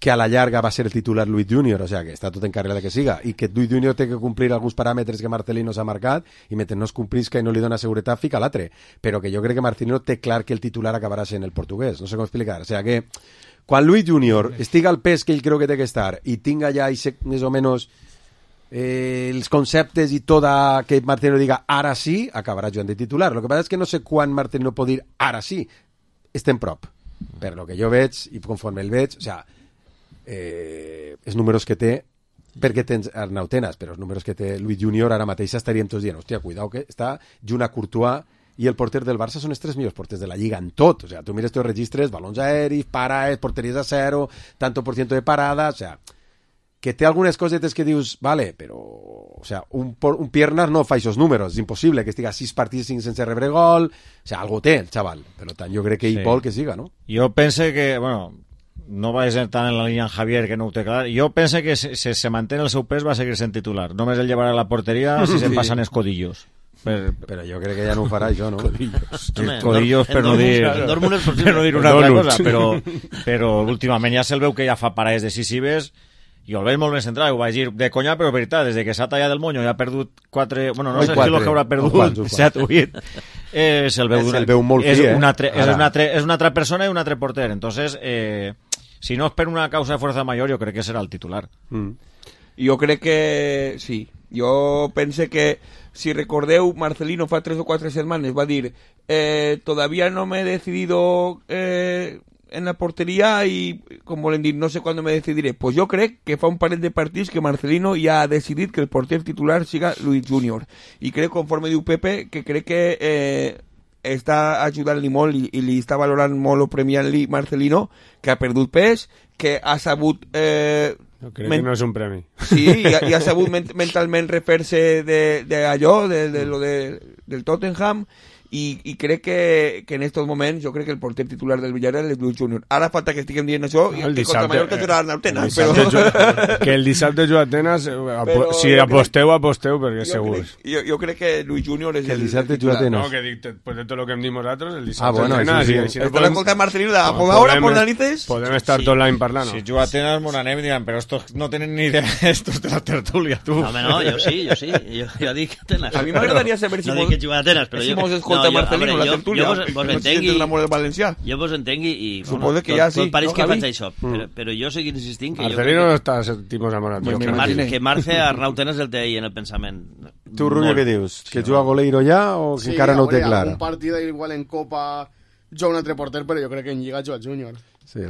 que a la llarga va ser el titular Luis Junior, o sea, que està tot encarregat que siga, i que Luis Junior té que complir alguns paràmetres que Marcelino s'ha marcat, i mentre no es complisca i no li dona seguretat, fica l'altre. Però que jo crec que Marcelino té clar que el titular acabarà sent el portuguès, no sé com explicar. O sea, que quan Luis Junior estiga al pes que ell creu que té que estar i tinga ja més o menys els conceptes i tot que Marcelino diga ara sí, acabarà jugant de titular. Lo que passa és que no sé quan Marcelino pot dir ara sí, estem prop. Per lo que jo veig, i conforme el veig, o sea, els números que té, perquè tens Arnautenas, però els números que té Luis Junior ara mateix estaríem tots dient, hòstia, cuidao que està junt a Courtois i el porter del Barça són els 3 millors porters de la Lliga en tot, o sea, tu mires tots els registres, balons aèris, paraes, porteries a 0, tanto por ciento de parada, o sea, que té algunes cosetes que dius, vale, però, o sea, un Piernas no fa aquests números, és impossible que estiga 6 partits sense rebre gol, o sea, algo té el xaval, per tant, jo crec que ell vol que siga, no? Jo penso que, bueno, no va ser tant en la línia en Javier, que no ho té clar. Jo penso que si se manté el seu pes va seguir sent titular. Només el llevarà a la porteria si se'n passen els codillos. Però jo crec que ja no ho farà això, no? Codillos per no dir una altra cosa, però últimament ja se'l veu que ja fa parades decisives i el veig molt ben centrat, ho vaig dir de conya, però veritat, des que s'ha tallat el monyo i ha perdut 4, bueno, no sé si el que haurà perdut 7 o 8, se'l veu molt fi, és una altra persona i un altre porter, entonces si no és per una causa de fuerza mayor, jo crec que serà el titular. Jo crec que sí. Jo pense que, si recordeu, Marcelino fa 3 o 4 setmanes va dir todavía no me he decidido en la portería y, com volen dir, no sé cuándo me decidiré. Pues jo crec que fa un parell de partits que Marcelino ja ha decidit que el porter titular siga Luis Junior. I crec, conforme diu Pepe, que crec que està ajudant-li molt i li està valorant molt o premiant-li Marcelino, que ha perdut pes, que ha sabut... jo crec que no és un premi. Sí, i ha sabut mentalment refer-se d'allò, de lo del Tottenham, i crec que en estos moments jo crec que el porter titular del Villarreal és Luis Junior. Ara falta que estiguem dient això i que contra Mallorca jugarà Atenas, però... Que el dissabte juga Atenas, si aposteu, perquè és segur. Jo crec que Luis Junior és que el dissabte juga Atenas. No, que dic, pues de tot lo que hem dit nosaltres, el dissabte bueno, Atenas. Sí. Estàs escoltant Marcelino de ahora por narices? Podem estar tot l'any parlant. Si juga Atenas, mon anem i diran, però estos no tenen ni idea estos de la tertúlia, tu. No, jo sí. Jo dic Atenas. A mi m'agradaria saber si no dic que juga Atenas, però si mos escolta Marcelino, la tertúlia. Jo vos entengui i... Suposo que ja sí. Tot pareix que faig això, però jo seguir insistint que... Marcelino no està sentimos amorat. Que Marce Arnau Tenas el té ahí en el pensament. Tu, Rubio, què dius? Que juga Goleiro ja o que encara no ho té clar? Sí, un partit igual en Copa juga un altre porter, però jo crec que en Lliga juga Júnior. Sí,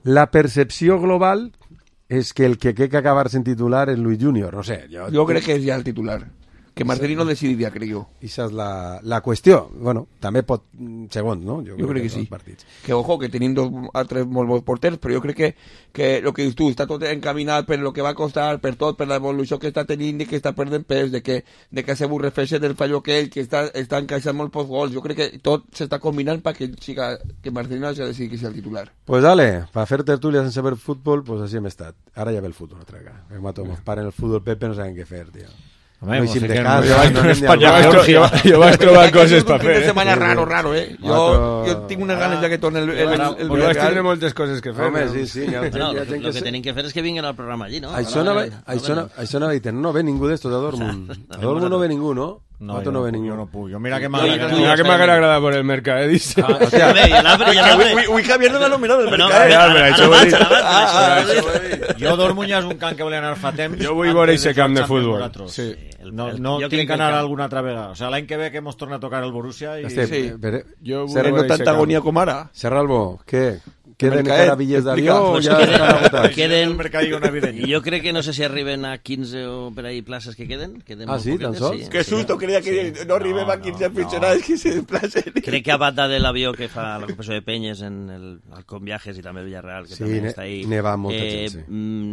la percepció global és que el que té que acabar sent titular és Luis Junior, no sé. Jo crec que és ja el titular. Que Marcelino decidiria, crec jo. Esa és la qüestió. Bueno, també pot... Segons, no? Jo crec que sí. Que, ojo, que tenim altres molt bons porters, però jo crec que el que dius tu, està tot encaminat per lo que va costar, per tot, per l'evolució que està tenint i que està perdent pes, de que se reflexe del fallo aquell, que està encaixant molt pocs gols. Jo crec que tot s'està combinant perquè que Marcelino hagi decidit que sigui el titular. Pues dale, para fer tertúlia sense ver futbol, pues així hem estat. Ara ja ve el futbol, otra vegada. Ens paren el futbol, Pepe, no saben què fer, tio. Home, jo vaig trobar coses per fer. Un setmana raro, Jo tinc unes ganes ja que torni el vaig tindre moltes coses que fer. Home, sí. El que tenim que fer és que vinguin al programa allí, no? Això no ve ningú d'estos a Dortmund. A Dortmund no ve ningú, ¿no? No ve ningú. Jo no puc. Mira que m'agrada agradar por el Mercadis. Ui, Javier no m'ha nominat el Mercadis. Jo Dortmund ja és un camp que volia anar fa temps. Jo vull veure aquest camp de futbol. Sí. No tinc que anar alguna altra vegada. O sea, l'any que ve que hemos tornat a tocar el Borussia i... Sí, seré tanta agonia com ara. Serralbo, què? Queden encara bitllets d'avió o ja estan agotats? Queden... Jo crec que no sé si arriben a 15 o per ahí places que queden. Sí, tan sols? Que susto, creia que no arribem a 15 aficionats que se desplacen. Crec que a banda de l'avió que fa la Competició de Penyes al Com Viajes i també el Villarreal, que també està ahí. Nevant molta gent, sí.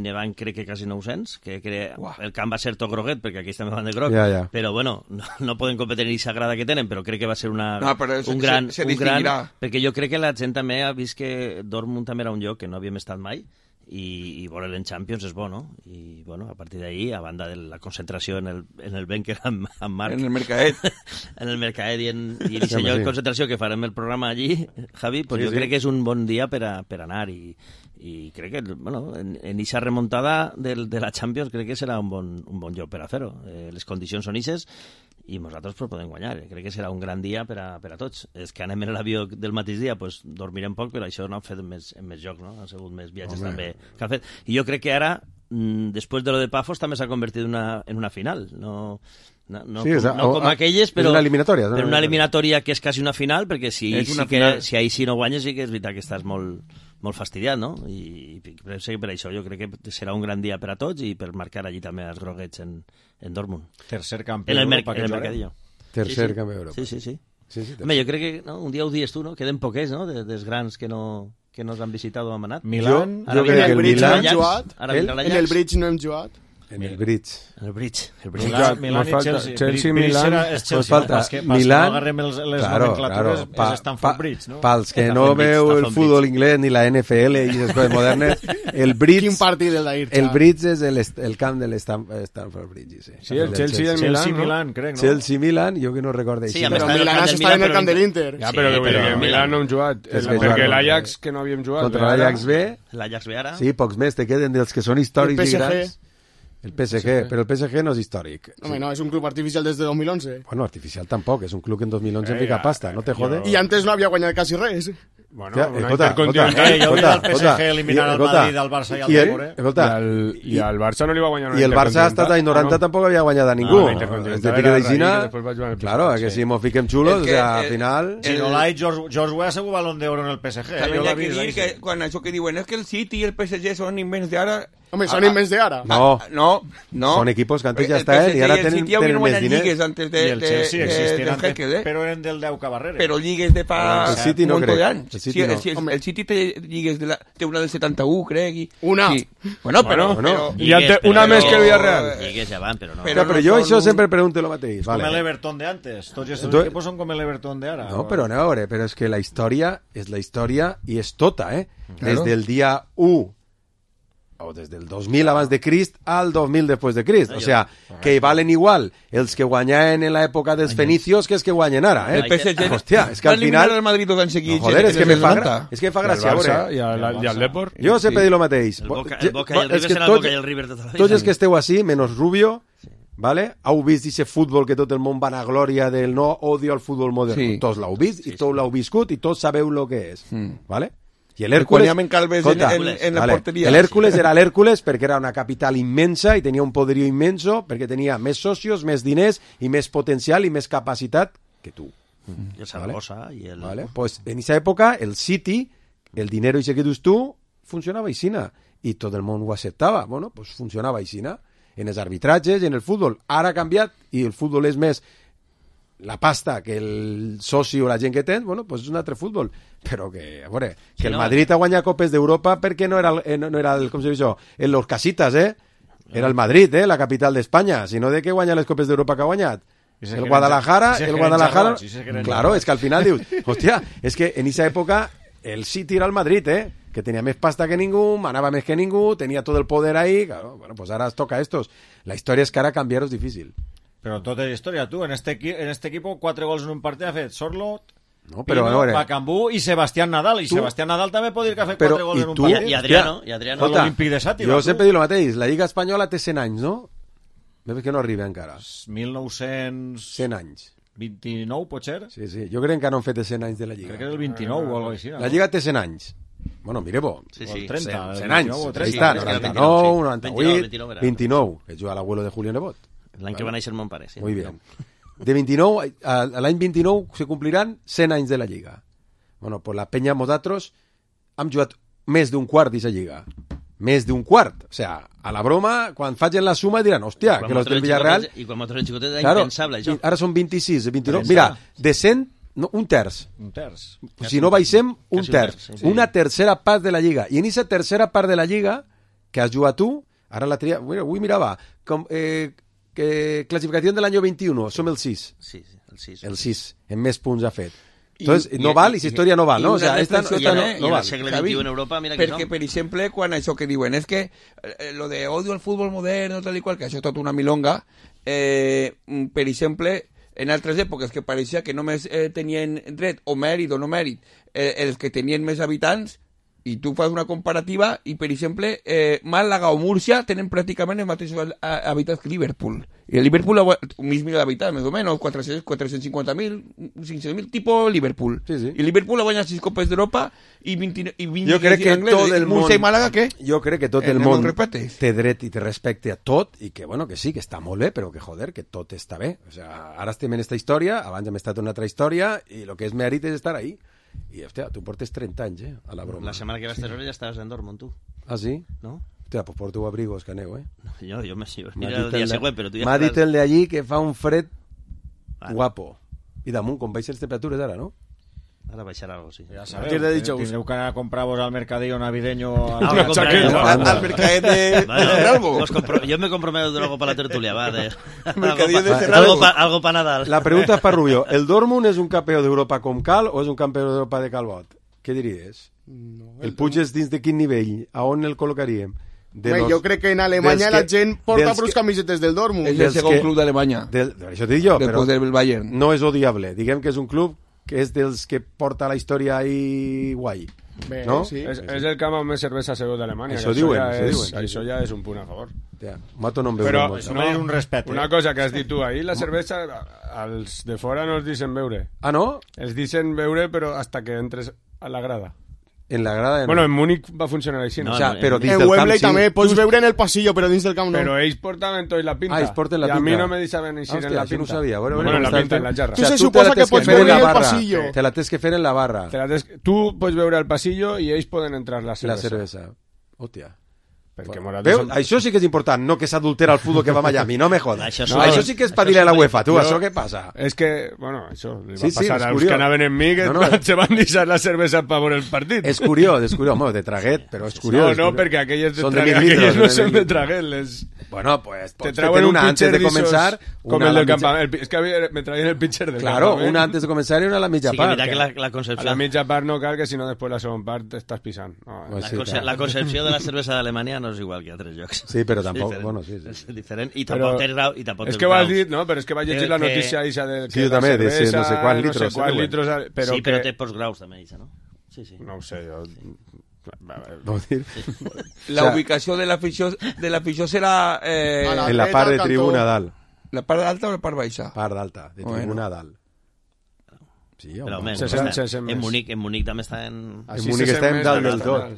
Nevant crec que quasi 900, que el camp va ser tot groguet, perquè aquí també van de groc, però bueno, no poden competir en aquesta grada que tenen, però crec que va ser un gran... Perquè jo crec que la gent també ha vist que Dortmund també era un lloc que no havíem estat mai i veure'l en Champions és bo, no? I bueno, a partir d'ahí, a banda de la concentració en el Benker amb Marc... En el Mercadet. En el Mercadet i el senyor de concentració que farem el programa allí, Javi, pues jo crec que és un bon dia per anar i crec que, bueno, en aquesta remuntada de la Champions crec que serà un bon lloc per a fer-ho. Les condicions són ixes i nosaltres podem guanyar. Crec que serà un gran dia per a tots. És que anem en l'avió del mateix dia, pues dormirem poc, però això no han fet més joc, no? Han sigut més viatges també que han fet. I jo crec que ara, després de lo de Pafos, també s'ha convertit en una final. No com aquelles, però una eliminatòria. Però una eliminatòria que és quasi una final, perquè si ahir sí no guanyes, sí que és veritat que estàs molt fastidiat, no? I per això jo crec que serà un gran dia per a tots i per marcar allí també els groguets en Dortmund. Tercer campió d'Europa que mercadillo. Tercer campió d'Europa. Sí. Home, jo crec que un dia ho dies tu, no? Queden poquets, no? Dels grans que nos han visitat o han anat. Milán. Jo crec que el Milán... En el Bridge no hem jugat. En el Bridge. Milán i Chelsea. Chelsea, Milán... Pues falta Milán... No agarrem les nomenclatures, és Stamford Bridge, no? Pels que no veu el futbol inglès ni la NFL i les coses modernes, el Bridge... Quin partit el d'ahir? El Bridge és el camp de l'Stamford Bridge, sí. Sí, el Chelsea i el Milán, Milán, crec, no? Chelsea-Milán, jo que no recordo així. Sí, però Milán està en el camp de l'Inter. Ja, però el Milán no hem jugat. Perquè l'Ajax, que no havíem jugat. Contra l'Ajax B. L'Ajax B ara. Sí, pocs més te queden dels que són històrics i grans. El PSG, però el PSG no és històric. Home, no, és un club artificial des de 2011. Bueno, artificial tampoc, és un club que en 2011 fica pasta, no te jode? I antes no havia guanyat quasi res. Bueno, una intercontinental. Jo vull el PSG eliminar el Madrid, el Barça i el Depor, I el Barça no li va guanyar una intercontinental. I el Barça hasta l'any 90 tampoc havia guanyat a ningú. Este pique d'Aixina, claro, que si mos fiquem xulos, o sea, al final... Si no l'ha George Weah segur balón d'oro en el PSG. També hi ha que dir que quan això que diuen és que el City i el PSG són invents d'ara... Home, son invents de ara. No. No. Son equipos que antes ya está él y ahora tenen més diners. Antes I el Chelsea existien antes, Jekyll, però eren del 10 Cabarrere. Però lligues de fa El City un no munt crec. d'anys. El City no. El City té lligues té una del 71, crec. Una. Sí. Bueno, però... I una més que el Villarreal. Lligues ja van, però no. Però jo això sempre pregunto lo mateix. Com l'Everton de antes. Tots aquests equipos són com l'Everton de ara. No, però aneu a veure, però és que la història és la història i és tota, Claro. Des del dia 1 o des del 2000 abans de Crist al 2000 després de Crist. O sea, que valen igual els que guanyaven en l'època dels fenicios que els que guanyen ara. El PSG... Hòstia, és que al final... el Madrid dos anys seguits. Joder, és que me fa gràcia. I el Depor. Jo sempre dic el mateix. El Boca i el River serà el Boca i el River tota la vida. Tots els que esteu així, menos Rubio, ¿vale? Heu vist aquest futbol que tot el món va a glòria del no odio al futbol modern. Sí. Tots l'heu vist i tots l'heu viscut i tots sabeu el que és. ¿Vale? I Quan hi ha Calves en la porteria. L'Hèrcules era l'Hèrcules perquè era una capital immensa i tenia un poderío immenso perquè tenia més socios, més diners i més potencial i més capacitat que tu. I el Saragossa i el... Vale? Pues en esa època el City, el dinero ese que dius tu, funcionava aixina i tot el món ho acceptava. Bueno, pues funcionava aixina en els arbitratges i en el futbol. Ara ha canviat i el futbol és més la pasta que el soci o la gent que tens, bueno, pues és un altre futbol. Però que, a veure, que sí, el Madrid ha guanyat Copes d'Europa perquè no era el com se diu això, en los casitas, Era el Madrid, la capital d'Espanya, sinó de que guanya les Copes d'Europa que ha guanyat. El Guadalajara, claro, és que al final dius, hòstia, és que en esa època el City era el Madrid, que tenia més pasta que ningú, manava més que ningú, tenia tot el poder ahí, claro, bueno, pues ara es toca a estos. La història és que ara canviar és difícil. Però tota la història, tu, en este equipo 4 gols en un partit ha fet Sorlot, no, però, Pino, Bacambú i Sebastián Nadal. I Sebastián Nadal també pot dir que ha fet 4 gols en un partit. I Adriano. L'Olímpic de Sàtiva. Jo sempre dic el mateix, la Lliga Espanyola té 100 anys, no? Veus que no arriba encara. 1900... 100 anys. 29, pot ser? Sí, jo crec que no han fet 100 anys de la Lliga. Crec que és el 29 o alguna cosa així. La Lliga té 100 anys. Bueno, mireu-ho. Sí. 30, 100 anys. Ahí està, 99, 98, 29. Que juga l'abuelo de Julio Nebot. L'any que va néixer mon pare, sí. Muy bien. De 29, a l'any 29 se compliran 100 anys de la Lliga. Bueno, pues la penya nosaltres hem jugat més d'un quart d'aquesta Lliga. Més d'un quart. O sea, a la broma, quan facin la suma diran, hòstia, que los del Villarreal... I quan nosaltres xicotet era impensable, això. Ara són 26, 29... Mira, de 100, no, un terç. Un terç. Si no baixem, un terç. Una tercera part de la Lliga. I en aquesta tercera part de la Lliga que has jugat tu, ara la tria... Avui mirava, que clasificació de l'any 21, som el 6. Sí, el 6. El 6, en més punts ha fet. Entonces, no val, i la història no val, no? O sea, esta no val. Segle XXI en Europa, mira que perquè, per exemple, quan això que diuen és que lo de odio al futbol modern, tal i qual, que això és tot una milonga, per exemple, en altres èpoques que pareixia que només tenien dret o mèrit o no mèrit els que tenien més habitants, i tu fas una comparativa i, per exemple, Màlaga o Múrcia tenen pràcticament els mateixos habitants que Liverpool. I el Liverpool, un mig milió d'habitants, més o menys, 450.000, 500.000, tipo Liverpool. Sí. I Liverpool ha guanyat 6 Copes d'Europa i 20 jo crec que tot el món... Múrcia i Màlaga, què? Jo crec que tot el món té dret i té respecte a tot i que, bueno, que sí, que està molt bé, però que, joder, que tot està bé. O sea, ara estem en esta història, abans hem estat en una altra història i el que és mèrit és estar ahí. I, hòstia, tu portes 30 anys, a la broma. La setmana que vas a ja estaves en Dortmund, tu. Ah, sí? No? Hòstia, pues porto abrigos, que aneu, No, jo mira el dia següent, però tu ja... M'ha dit el d'allí que fa un fred guapo. I damunt, com baixen les temperatures ara, no? Ara baixarà algo, sí. Ja sabeu, tindreu que anar a comprar-vos al mercadillo navideño... Al mercadet de Cerralbo. Yo me comprometo algo para la tertulia, va. Mercadillo de Cerralbo. Algo para Nadal. La pregunta és per Rubio. ¿El Dortmund és un campió d'Europa com cal o és un campió d'Europa de calbot? Què diries? El Puig és dins de quin nivell? A on el col·locaríem? Jo crec que en Alemanya la gent porta prou camisetes del Dortmund. És el segon club d'Alemanya. Això t'ho dic jo, però del Bayern. No és odiable. Diguem que és un club que és dels que porta la història ahí guai. Bé, no? Sí. És el camp amb més cervesa segur d'Alemanya. Això diuen. Això ja és un punt a favor. Mato no em veu però molt. no, un respecte. Una cosa que has dit tu ahir, la cervesa als de fora no els deixen beure. Ah, no? Els deixen beure però hasta que entres a la grada. En la grada bueno, en Múnich va funcionar així, no? O sea, però dins en del Wembley camp, també pots veure en el passillo, però dins del camp no. Però ells portaven tot la pinta. Ah, ells porten la pinta. I a mi pinta. no me deixaven eixir en la pinta. No ho sabia. Bueno, en la pinta, en la jarra. Tu se suposa que pots veure en el passillo. Te la tens que fer en la barra. Tu pots veure al passillo i ells poden entrar la cervesa. La cervesa. Hòstia. Això sí que és important, no que s'adultera el futbol que va a Miami, no me jodas. Això sí que és per dir a la UEFA, tu, això què passa? És que, bueno, això li va passar als que anaven en mi, que se van deixar la cervesa per veure el partit. És curiós, home, de traguet, però és curiós. No, perquè aquelles no són de traguet, Bueno, pues te trauen una antes de comenzar, com el del campament. És que me traien el pitcher del Claro, campament. una antes de comenzar y una a la mitja part. Sí, que mira que la concepció... A la mitja part no cal, que si no després la segona part t'estàs pisant. La concepció de la cervesa d'Alemanya no és igual que a altres llocs. Sí, però tampoc, bueno, sí. És diferent, i tampoc tens grau, i tampoc és que ho has dit, no? Però és que vaig llegir la notícia eixa de que la cervesa, no sé quants litros. Sí, però té postgraus també, eixa, no? Sí. No ho sé, jo... La ubicació de l'afició serà... en la part de tribuna dalt. La part alta o la part baixa? Part d'alta, de tribuna dalt. Sí, però almenys, en Munic també està en... En Munic estem dalt del tot.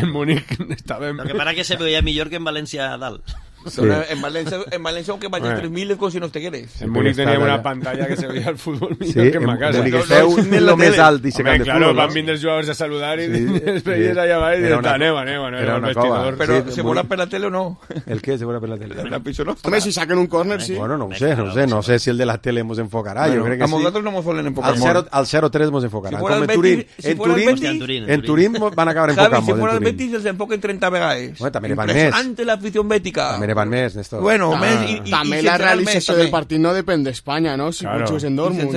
En Munic estàvem... Lo que para que se veia millor que en València dalt. Sí. En Valencia aunque vaya 3.000 como si no te quieres. En Múnich teníamos una pantalla que se veía el fútbol millor que en ma casa. En Múnich esteu lo més alt i se camp de claro, fútbol. Van vindre els jugadors a saludar i es veies allà baix i aneu, era un vestidor. Però se veurà per la tele o no? El què se veurà per la tele? La piso no. Home, si saquen un córner, sí. Bueno, no sé si el de la tele mos enfocarà, jo crec que sí. A nosaltres no mos solen enfocar molt. Al 0-3 mos enfocarà. Com en Turín van acabar enfocant molt. Si fuera el Betis els enfoquen 30 vegades. També ne van més. Impressionante la afición bética. També ne van més, Néstor. Bueno, també la realització del partit no depèn d'Espanya, no? Si jugues en Dortmund.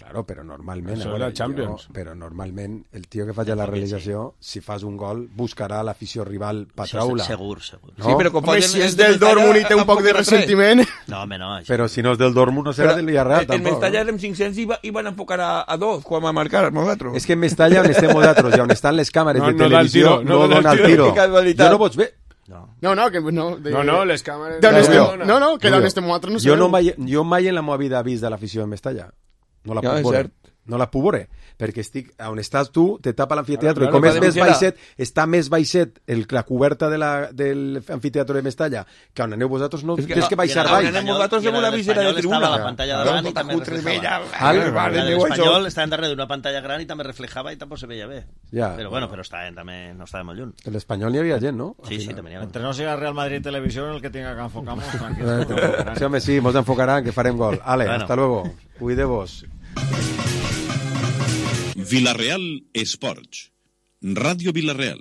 Claro, però normalment... Això era Champions. Però normalment el tio que faci la realització, si fas un gol, buscarà l'afició rival patraula. Segur. No? Sí, però home, si és del Dortmund i té un poc de ressentiment... No, home, no. Però si no és del Dortmund, no serà del Villarreal, tampoc. En Mestalla érem 500 i van enfocar a 2 quan va marcar nosaltres. És que en Mestalla, on estem nosaltres i on estan les càmeres de televisió, no dona el tiro. Jo no pots ver... No, les càmeres... Que d'on estem nosaltres no sabeu. Jo mai en la meva vida he vist de l'afició de Mestalla. No la puc veure. No la puc veure. Perquè estic on estàs tu, te tapa l'amfiteatre. I com és més baixet, està més baixet la coberta de l'amfiteatre de Mestalla, que on aneu vosaltres no tens que baixar baix. On anem vosaltres amb una visera de tribuna. La pantalla davant i també reflejava. L'Espanyol estava darrere d'una pantalla gran i també reflejava i tampoc se veia bé. Però bueno, però no estava molt lluny. L'Espanyol hi havia gent, no? Sí, també n'hi havia. Entre no siga Real Madrid Televisió, el que tenga que enfocar-nos, tranquil. Sí, home, sí, mos enfocaran, que farem gol. Ale, hasta luego. Cuideu-vos. Villarreal Esports. Ràdio Villarreal.